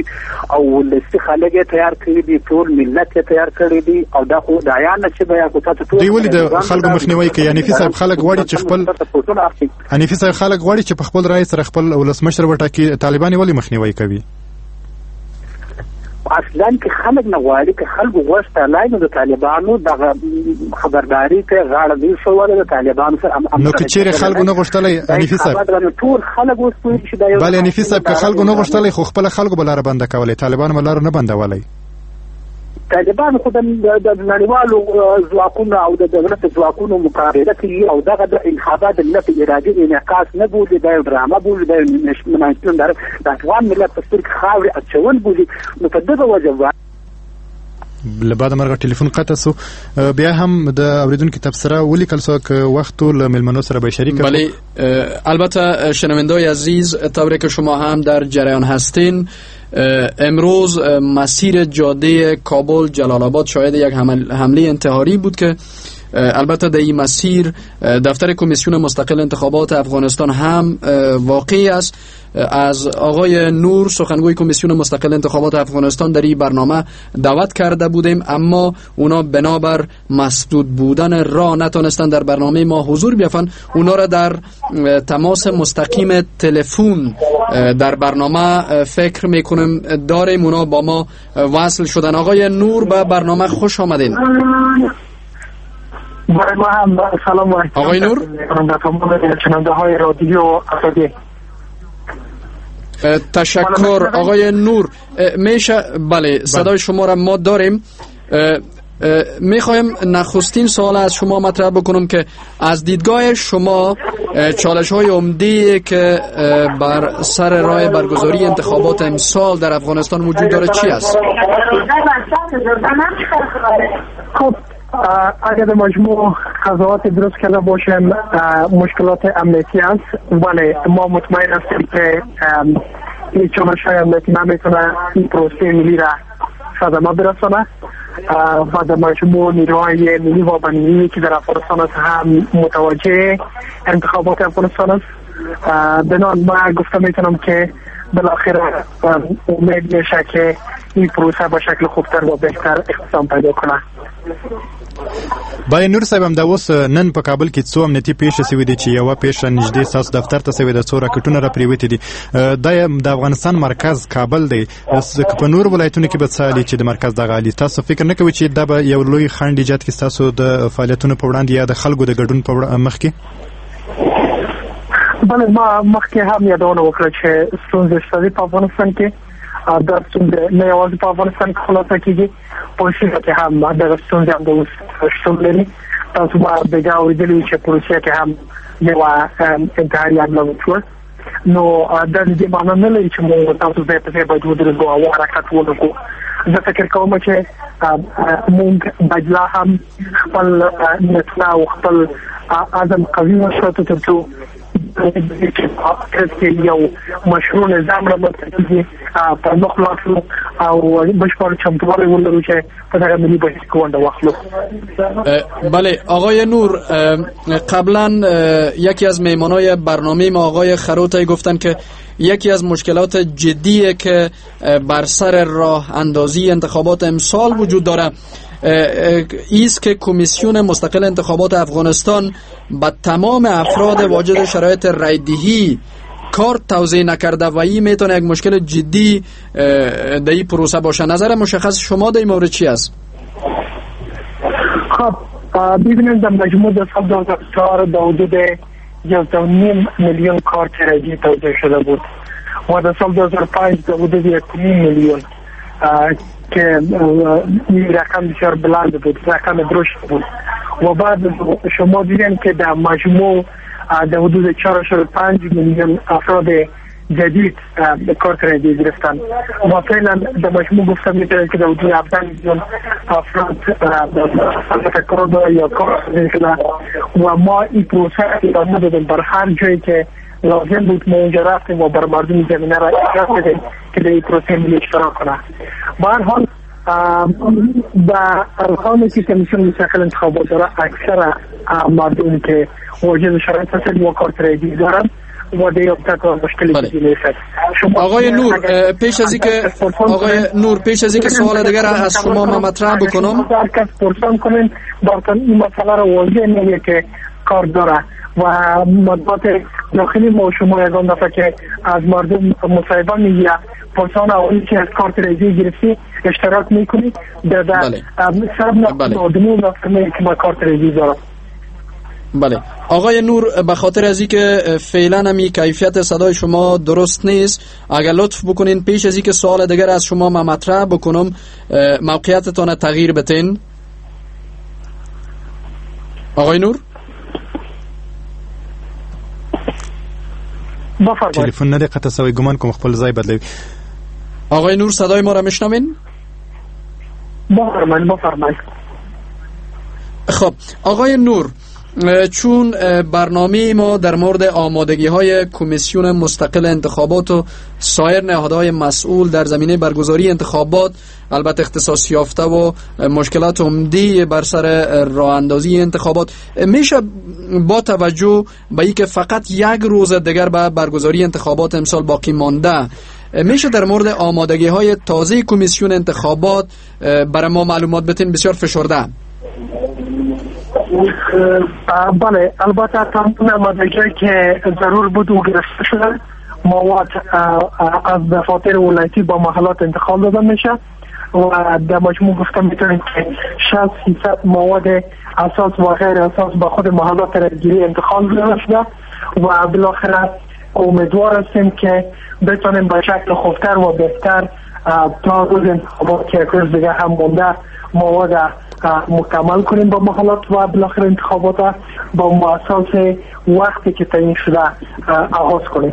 او ولسي خلک یې تیار کړي دي، ټول ملت یې تیار کړی دی او دا خو د عیان نه چې بیا خو تاسو ټول دوی ولې د خلکو مخنیوی کوي؟ حنیفي صاحب خلک غواړي چې خپل حنیفي صاحب خلک غواړي چې په خپل رأی سره خپل ولسمشر وټاکي، طالبان یې ولې مخنیوی کوي؟ اصلا که خلک نه غواړي، که خلکو غوښتلای نو د طالبانو دغه خبرداري ته غاړه نه ښووله د طالبانو سره. نو که چیرې خلکو نه غوښتلی حنیفي صاحب، ټول خلک اوس پوهېږي چې دا یو بله حنیفي صاحب که خلکو نه غوښتلی خو خپله خلکو به لاره بنده کولی، طالبانو به لاره نه بندولی. طالبان خو د نړیوالو ځواکونو او د دولت ځواکونو مقابله کوي او دغه د انتخابات د ملت ارادي انعکاس نه بولي، دا یو ډرامه بولي، دا یو د افغان ملت په سترګو خاورې اچول بولي. نو په دغه وجه له بده مرغه ټلیفون قطع سو. بیا هم د اوریدونکو تبصره ولیکل سو که وخت له میلمنو سره به شریک. بله البته شنونده‌های عزیز، طوری که شما هم در جریان هستین، امروز مسیر جاده کابل جلال آباد شاهد یک حمله انتحاری بود که البته در این مسیر دفتر کمیسیون مستقل انتخابات افغانستان هم واقع است. از آقای نور سخنگوی کمیسیون مستقل انتخابات افغانستان در این برنامه دعوت کرده بودیم، اما اونا بنابر مسدود بودن راه نتانستن در برنامه ما حضور بیافن. اونا را در تماس مستقیم تلفن در برنامه فکر میکنیم داریم، اونا با ما وصل شدن. آقای نور به برنامه خوش آمدین. برای ما هم سلام و آقای نور شنونده های رادیو آزادی. تشکر آقای نور. میشه بله صدای شما را ما داریم. میخوایم نخستین سوال از شما مطرح بکنم که از دیدگاه شما چالش های عمده که بر سر راه برگزاری انتخابات امسال در افغانستان وجود داره چی است؟ خب اگر در مجموع قضاوت درست کرده باشیم مشکلات امنیتی است، ولی ما مطمئن هستیم که این چالش های امنیتی نمیتونه این پروسه ملی را صدمه برسانه و در مجموع نیروهای ملی و بین‌المللی که در افغانستان است هم متوجه انتخابات افغانستان است. بنابراین ما گفته میتونم که بالاخره امید میشه که این پروسه به شکل خوبتر و بهتر اقدام پیدا کنه. بله نور صاحب، هم دا اوس نن په کابل کې څو امنیتي پیښې شوې دي چې یوه پیښه نږدې ستاسو دفتر ته شوې ده، څو راکټونه را پرېوتي دي. دا د افغانستان مرکز کابل دی، که په نورو ولایتونو کې به څه حالي چې د مرکز دغه حالي، تاسو فکر نه کوئ چې دا به یو لوی خنډ ایجاد کړي ستاسو د فعالیتونو په وړاندې یا د خلکو د ګډون په مخکې؟ بله ما مخکې هم یادونه وکړه چې ستونزې شته په افغانستان کې. دا ستونزې نه یوازې په افغانستان کې خلاصه کېږي، په سیمه کې هم دغه ستونزې هم د اوس شتون لري. تاسو به بیا اورېدلي چې په روسیه کې هم یوه انتحاري حمله وشوه. نو دا د دې معنا نه لري چې موږ تاسو ځای په ځای باید ودرېږو او حرکت ونه کړو. زه فکر کوم چې موږ باید لا هم خپل نیتونه او خپل عزم قوي وساتو تر څو چې یو مشروع نظام رامنځته کېږي پر مخ لاړ شو او بشپړ چمتووالی ولرو چې په دغه ملي بهیر کې ونډه واخلو. بله آقای نور، قبلا یکی از مهمانای برنامه ما آقای خروتی گفتن که یکی از مشکلات جدیه که بر سر راه اندازی انتخابات امسال وجود داره ایست که کمیسیون مستقل انتخابات افغانستان به تمام افراد واجد شرایط رای‌دهی کارت توزیع نکرده و این میتونه یک مشکل جدی در این پروسه باشه. نظر مشخص شما در این مورد چی است؟ خب ببینید در مجموع در سال دو هزار و چهار در حدود یازده و نیم میلیون کارت رای‌دهی توزیع شده بود و در سال دو هزار و پنج در حدود یک و نیم میلیون که این رقم بسیار بلند بود، رقم درشت بود. و بعد شما دیدین که در مجموع در حدود چهار و پنج میلیون افراد جدید کارت رای‌دهی گرفتن و فعلا در مجموع گفتم میتونم که در حدود هفده میلیون افراد کارت یا کارت شده و ما این پروسه ادامه دادیم. بر هر جایی که لازم بود ما اونجا رفتیم و بر مردم زمینه را ایجاد کردیم که در این پروسه ملی اشتراک کنه. به هر حال به ارقامی که کمیسیون مستقل انتخابات داره اکثر مردم که واجد شرایط هستند و کارت رای‌دهی دارند و یافته کار مشکلی بله. نیست. آقای نور پیش از اینکه آقای نور پیش از اینکه سوال دیگر از شما ما مطرح بکنم، هر کس پرسان کنین براتون این مسئله را واضح میگه که کار داره و مطبوعات داخلی ما شما یگان دفعه که از مردم مصاحبه میگیره پرسان اولی که از کارت رایگی گرفتی اشتراک میکنی در در سر نقدمو نفرمه که ما کارت رایگی دارم. بله آقای نور، به خاطر از اینکه فعلا همی کیفیت صدای شما درست نیست، اگر لطف بکنین پیش از اینکه سوال دیگر از شما ما مطرح بکنم موقعیتتان تغییر بتین. آقای نور تلفن نه قطع سوی، ګمان کوم خپل ځای بدلوي. آقای نور صدای ما را میشنوین؟ بفرمایید بفرمایید. خب آقای نور، چون برنامه ما در مورد آمادگی های کمیسیون مستقل انتخابات و سایر نهادهای مسئول در زمینه برگزاری انتخابات البته اختصاص یافته و مشکلات عمده بر سر راه اندازی انتخابات میشه، با توجه به اینکه فقط یک روز دیگر به برگزاری انتخابات امسال باقی مانده، میشه در مورد آمادگی های تازه کمیسیون انتخابات برای ما معلومات بتین؟ بسیار فشرده. بله البته تمام آمادگی که ضرور بود و گرفته شده، مواد از دفاتر ولایتی با محلات انتقال داده میشه و در مجموع گفتم میتونیم که شصت درصد مواد اساس و غیر اساس با خود محلات رایگیری انتقال داده شده و بالاخره امیدوار هستیم که بتونیم به شکل خوبتر و بهتر تا روز انتخابات که یک روز دیگه هم مونده مواد مکمل کنیم با محلات و بالاخره انتخابات با اساس وقتی که تعیین شده آغاز کنیم.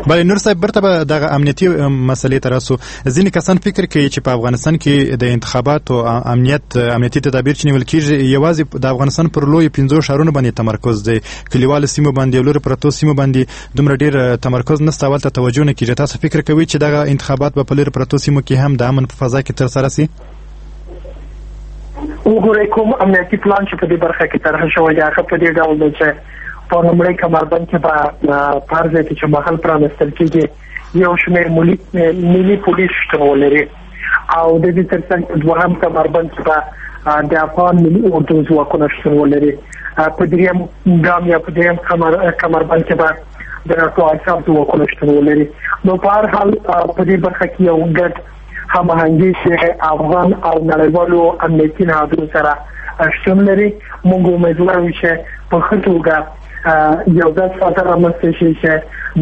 بله نور صاحب، برته به دغه امنیتي مسئلې ته راسو. ځینې کسان فکر کوي چې په افغانستان کې د انتخاباتو امنیت امنیتي تدابیر چې نیول کیږي یوازې د افغانستان پر لوی پنځو ښارونو باندې تمرکز دی، کلیوالو سیمو باندې او لرې پرتو سیمو باندې دومره ډیر تمرکز نشته، هلته توجه نه کیږي. تاسو فکر کوئ چې دغه انتخابات به په لرې پرتو سیمو کې هم د امن په فضا کې ترسره سي؟ وګورئ کوم امنیتي پلان چې په دې برخه کې طرح شوی دی هغه په دې ډول دی چې په لومړۍ کمربند کې به په هر ځای کې چې محل پرانیستل کېږي یو شمېر ملي ملي پولیس شتون ولري او د دې ترڅنګ په دوهم کمربند کې به د افغان ملي اردو ځواکونه شتون ولري، په دریم ګام یا په دریم کمر کمربند کې به د ناټو آیساف ځواکونه شتون ولري. نو په هر حال په دې برخه کې یو ګډ هماهنګي چې افغان او نړیوالو امنیتي نهادونو سره شتون لري. موږ امیدوار یو چې په ښه توګه یو داسې فضا رامنځته شي چې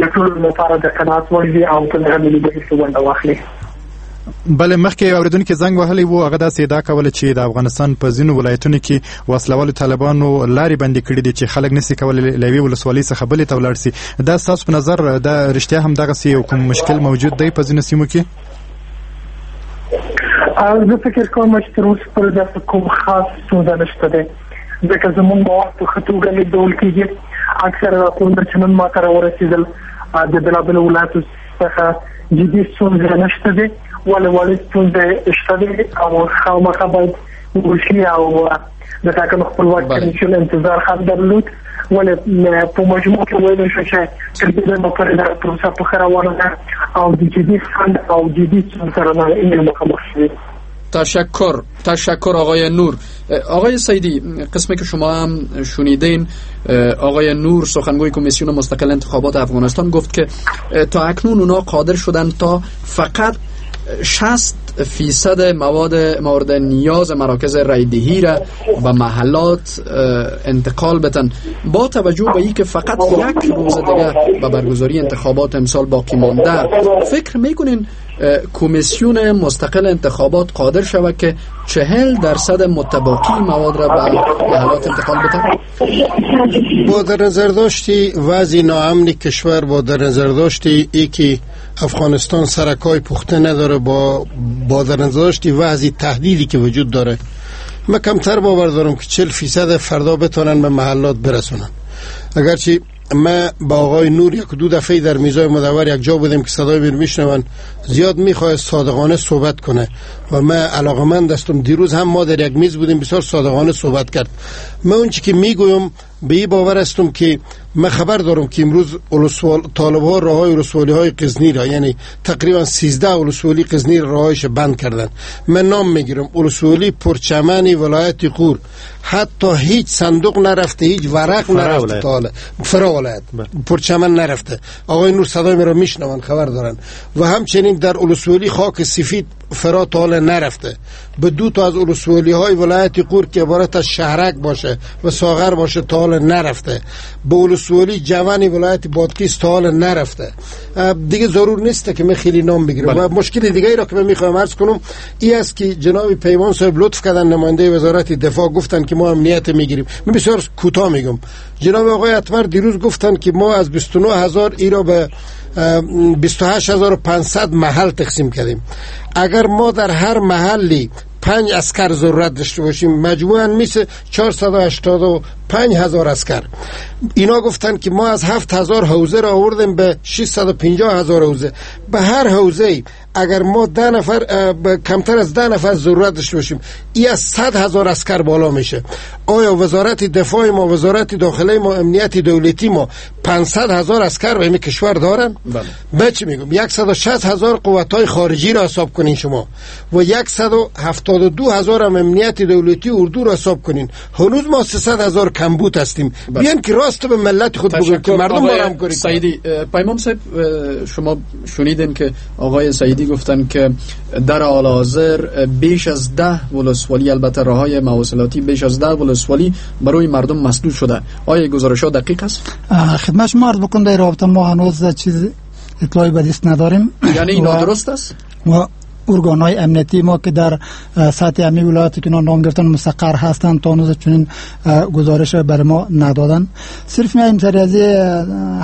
د ټولو لپاره د قناعت وړ وي او په دغه ملي بهیر کې ونډه واخلي. بله مخکې اوریدونکي زنګ وهلی وو، هغه داسې ادعا کوله چې د افغانستان په ځینو ولایتونو کې وسلهوالو طالبانو لارې بندې کړې دي چې خلک نشي کولی له یوې ولسوالۍ څخه بلې ته ولاړ سي. دا ستاسو په نظر دا رښتیا هم دغسې یو کوم مشکل موجود دی په ځینو سیمو کې؟ زه فکر کوم چې تر اوسه پورې داسې کوم خاص ستونزه نشته دی، ځکه زموږ مواد په ښه توګه لېږدول کېږي. اکثره راپورونه چې نن ماته راورسېدل د بېلابېلو ولایاتو څخه جدي ستونزې نشته دی، ولې وړې ستونزې شته دی او خامخا باید وشي او د ټاکنو خپلواک کمیسیون انتظار هم درلود. ولې په مجموع کې ویلی شو چې تر دې دمه پورې دا پروسه په ښه روانه ده او د جدي خنډ او جدي ستونزو سره نه مخامخ شوي. تشکر تشکر آقای نور. آقای سیدی، قسمی که شما هم شنیدین آقای نور سخنگوی کمیسیون مستقل انتخابات افغانستان گفت که تا اکنون اونا قادر شدن تا فقط شصت فیصد مواد مورد نیاز مراکز رایدهی را به محلات انتقال بدن. با توجه به اینکه فقط یک روز دیگه به برگزاری انتخابات امسال باقی مانده، فکر میکنین کمیسیون مستقل انتخابات قادر شود که چهل درصد متباقی مواد را به محلات انتقال بدن؟ با در نظر داشتی وضع ناامن کشور، با در نظر داشتی ای که افغانستان سرکای پخته نداره، با با در نظر داشتی وضع تهدیدی که وجود داره، من کمتر باور دارم که چهل فیصد فردا بتونن به محلات برسونن. اگرچه ما با آقای نور یک دو دفعه در میزای مدور یک جا بودیم که صدای میر میشنون، زیاد میخواه صادقانه صحبت کنه و من علاقمند هستم. دیروز هم ما در یک میز بودیم، بسیار صادقانه صحبت کرد. من اون چی که میگویم به این باور هستم که من خبر دارم که امروز طالب ها راه های ولسوالی های غزنی را، یعنی تقریبا سیزده ولسوالی غزنی راهش بند کردن. من نام میگیرم ولسوالی پرچمن ولایت غور حتی هیچ صندوق نرفته، هیچ ورق نرفته تا حالا، فرا ولایت پرچمن نرفته. آقای نور صدای مرا میشنون، خبر دارن. و همچنین در ولسوالی خاک سفید فرا تا حالا نرفته. به دو تا از ولسوالی های ولایت غور که عبارت از شهرک باشه و ساغر باشه تا حالا نرفته. به ولسوالی جوان ولایت بادغیس تا حالا نرفته. دیگه ضرور نیست که من خیلی نام بگیرم. و مشکل دیگه ای را که من میخواهم عرض کنم این است که جناب پیمان صاحب لطف کردن، نماینده وزارت دفاع، گفتن که ما امنیت میگیریم. من بسیار کوتاه میگم. جناب آقای اتمر دیروز گفتن که ما از بیست و نه هزار ای را به بیست و هشت هزار و پانصد محل تقسیم کردیم. اگر ما در هر محلی پنج عسکر ضرورت داشته باشیم، مجموعاً میشه چهارصد و هشتاد و پنج هزار عسکر. اینا گفتن که ما از هفت هزار حوزه را آوردیم به ششصد و پنجاه هزار حوزه. به هر حوزه اگر ما ده نفر، کمتر از ده نفر ضرورت داشته باشیم، ای از صد هزار عسکر بالا میشه. آیا وزارت دفاع ما، وزارت داخله ما، امنیت دولتی ما پانصد هزار عسکر به این کشور دارن؟ بله. بچه میگم صد و شصت هزار قوت‌های خارجی را حساب کنین شما و صد و هفتاد و دو هزار هم امنیت دولتی اردو را حساب کنین، هنوز ما سیصد هزار کمبود هستیم. بیان که راست به ملت خود بگن که مردم ما را همکاری کنن. سعیدی پیمان صاحب، شما شنیدین که آقای سعیدی گفتن که در حال حاضر بیش از ده ولسوالی، البته راه‌های مواصلاتی بیش از ده ولسوالی برای مردم مسدود شده. آیا گزارش‌ها دقیق است؟ خدمت شما عرض بکنم در رابطه ما هنوز چیز اطلاعی به دست نداریم. یعنی نادرست است؟ و ارگان‌های امنیتی ما که در سطح امی ولایتی که نام گرفتن مستقر هستند تا هنوز چنین گزارش بر ما ندادن. صرف میایم سر از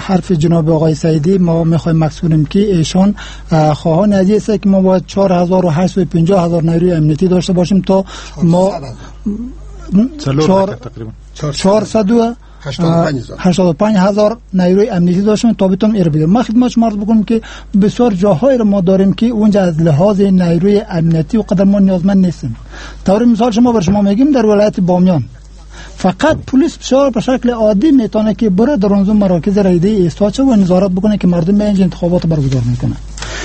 حرف جناب آقای سعیدی، ما میخوایم مقصودیم که ایشان خواهان از این است که ما باید چهار هزار و هشتصد و پنجاه هزار نیروی امنیتی داشته باشیم تا ما چهارصد و هشتاد و پنج هزار نیروی امنیتی داشتیم تا بتونیم ایر بگیریم. ما خدمت شما عرض بکنم که بسیار جاهایی رو ما داریم که اونجا از لحاظ نیروی امنیتی و قدر ما نیازمند نیستیم. طور مثال شما بر شما میگیم در ولایت بامیان فقط پلیس بسیار به شکل عادی میتونه که بره در اون مراکز رایده ایستاد شه و نظارت بکنه که مردم اینجا انتخابات برگزار میکنه.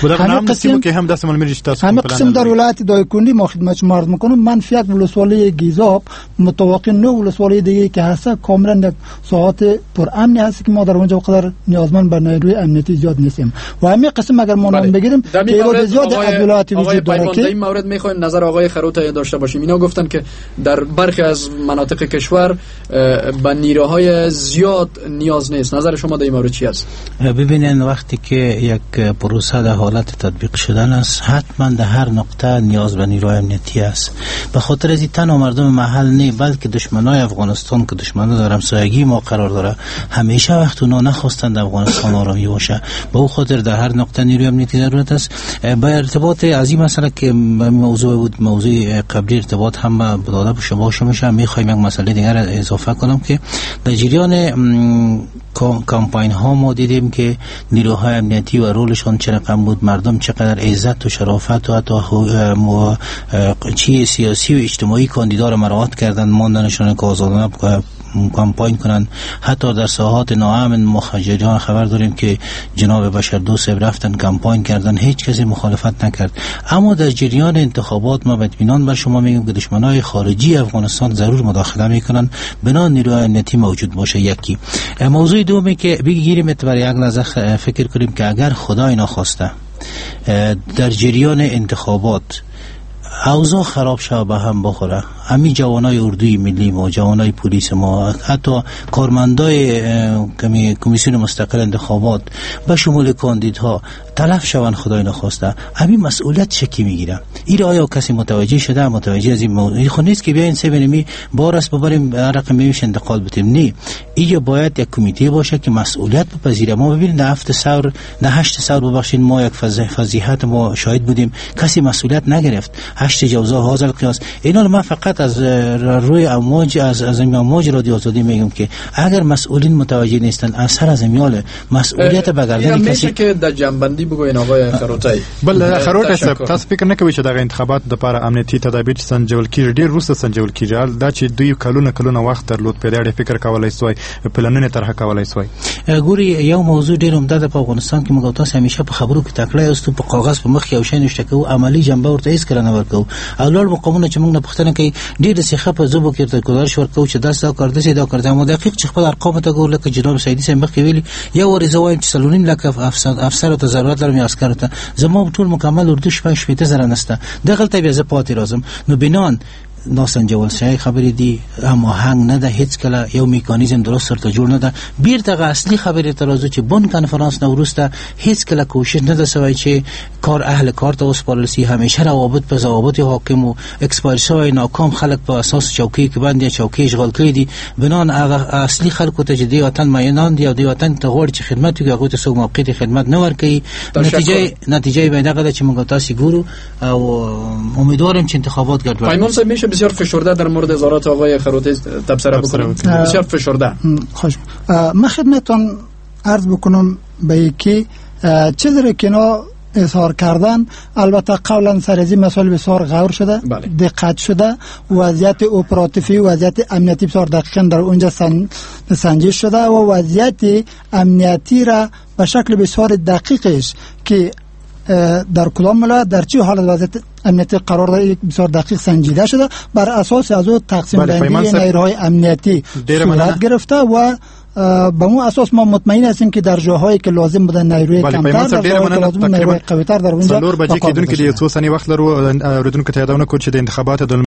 همه قسم که هم دست مال تاسو همه قسم در ولایت دایکندی ما خدمت شما عرض میکنم منفی یک ولسوالی گیزاب متواقع نه ولسوالی دیگه که هست کاملا یک ساعت پر امنی هست که ما در اونجا قدر نیازمند به نیروی امنیتی زیاد نیستیم و همه قسم اگر ما نام بگیریم تعداد زیاد از ولایات وجود داره که در این مورد میخوایم نظر آقای خروت داشته باشیم. اینا گفتن که در برخی از مناطق کشور به نیروهای زیاد نیاز نیست. نظر شما در این مورد چی است؟ ببینین وقتی که یک پروسه در حالت تطبیق شدن است حتما در هر نقطه نیاز به نیروی امنیتی است. به خاطر از این تنها مردم محل نه بلکه دشمنای افغانستان که دشمنان در همسایگی ما قرار داره همیشه وقت اونا نخواستند افغانستان آرامی باشه، به او خاطر در هر نقطه نیروی امنیتی ضرورت است. با ارتباط از این مسئله که موضوع بود موضوع قبلی ارتباط هم داده به شما شما میخوایم یک مسئله دیگر اضافه کنم که در جریان کمپاین ها ما دیدیم که نیروهای امنیتی و رولشان چه رقم بود، مردم چقدر عزت و شرافت و حتی چی سیاسی و اجتماعی کاندیدا را مراعات کردن، ماندنشان که آزادانه کمپاین کنند. حتی در ساحات ناامن ما جریان خبر داریم که جناب بشردوست رفتن کمپاین کردن، هیچ کسی مخالفت نکرد. اما در جریان انتخابات ما به اطمینان بر شما میگم که دشمنای خارجی افغانستان ضرور مداخله میکنن بنا نیروی امنیتی موجود باشه. یکی موضوع دومی که بگیریم برای یک لحظه فکر کنیم که اگر خدای ناخواسته در جریان انتخابات اوضاع خراب شد به هم بخوره، همین جوانای اردوی ملی ما، جوانای پلیس ما، حتی کارمندای کمیسیون مستقل انتخابات به شمول کاندیدها تلف شوند خدای نخواسته، همین مسئولیت شکی میگیره. این آیا کسی متوجه شده؟ متوجه از این موضوع خو نیست که بیاین سه بینمی بار است ببریم رقم میش انتقال بدیم. نه، اینجا باید یک کمیته باشه که مسئولیت بپذیره. ما ببینید در هفت ثور، در هشت ثور ببخشید، ما یک فضیحت ما شاهد بودیم، کسی مسئولیت نگرفت. هشت جوزا حاضر قیاس اینا. من فقط از روی امواج از از امواج رادیو آزادی میگم که اگر مسئولین متوجه نیستن اثر از میال مسئولیت به گردن کسی میشه که در جنبندی آزادی بگوین آقای خروټی. بل خروټی صاحب، تاسو فکر نه کوئ چې دغه انتخابات د لپاره امنیتي تدابیر چې سنجول کیږي ډیر وروسته سنجول کیږي؟ دا چې دوی کلونه کلونه وخت درلود، په دې اړه فکر کولای سوای، پلانونه طرح کولای سوای. ګوري، یو موضوع ډیر عمده ده په افغانستان کې، موږ تاسو همیشه په خبرو کې تکړه یاست، په کاغذ په مخ یو شی نشته کوو، عملی جنبه ورته هیڅ کله نه ورکوو. او لوړ مقامونه چې موږ نه پوښتنه کوي ډیر څه په زبو کې ورته ګزارش ورکوو چې دا څه کار دسي دا کار ده. مو دقیق چې خپل ارقام ته ګورو، لکه جناب سیدي صاحب مخکې ویلي، یو ورځ زه وایم چې څلور نیم لک افسر افسر ته ضرورت لرم یا عسکر ته، زما ټول مکمل اردو شپږ شپېته زره نسته، دغلته بیا زه پاتې راځم. نو بنان ناسنجول شوی خبرې دي، هماهنګ نه ده، هیڅ کله یو میکانیزم درست ورته جوړ نه ده. بیرته هغه اصلي خبرې ته راځو چې بن کنفرانس نه وروسته هیڅ کله کوشش نه ده سوی چې کار اهل کار ته وسپارل سي. همیشه روابط په ضوابط حاکم و expire شوی ناکام خلک په اساس چوکۍ کې باندې چوکۍ اشغال کړي دي. بنان هغه اصلي خلکو ته چې دی وطن مینان دي او دی وطن ته غواړي چې خدمت وکړي، هغوی ته څوک موقعیت خدمت نه ورکوي. نتیجه نتیجه به دغه ده چې موږ تاسو ګورو او امیدوارم چې انتخابات ګډوډ. بسیار فشرده در مورد اظهارات آقای خروټی تبصره بکنم، بسیار فشرده. خوش من خدمتتون عرض بکنم به یکی چیزی رو که اینا اظهار کردن، البته قبلا سر از این مسائل بسیار غور شده، بله. دقت شده، وضعیت اپراتیفی، وضعیت امنیتی بسیار دقیقا در اونجا سن... سنجش شده و وضعیت امنیتی را به شکل بسیار دقیقش که در کدام ولایت در چه حالت وضعیت امنیتی قرار داره بسیار دقیق سنجیده شده، بر اساس از او تقسیم بندی نیروهای امنیتی صورت گرفته و به اون اساس ما مطمئن هستیم که در جاهایی که لازم بودن نیروی کمتر، در جاهایی که لازم نیروی قوی‌تر در اونجا. څلور بجې کېدونکي دي، څو ثانیې وخت لرو. اورېدونکو ته یادونه کوو چې د انتخاباتو د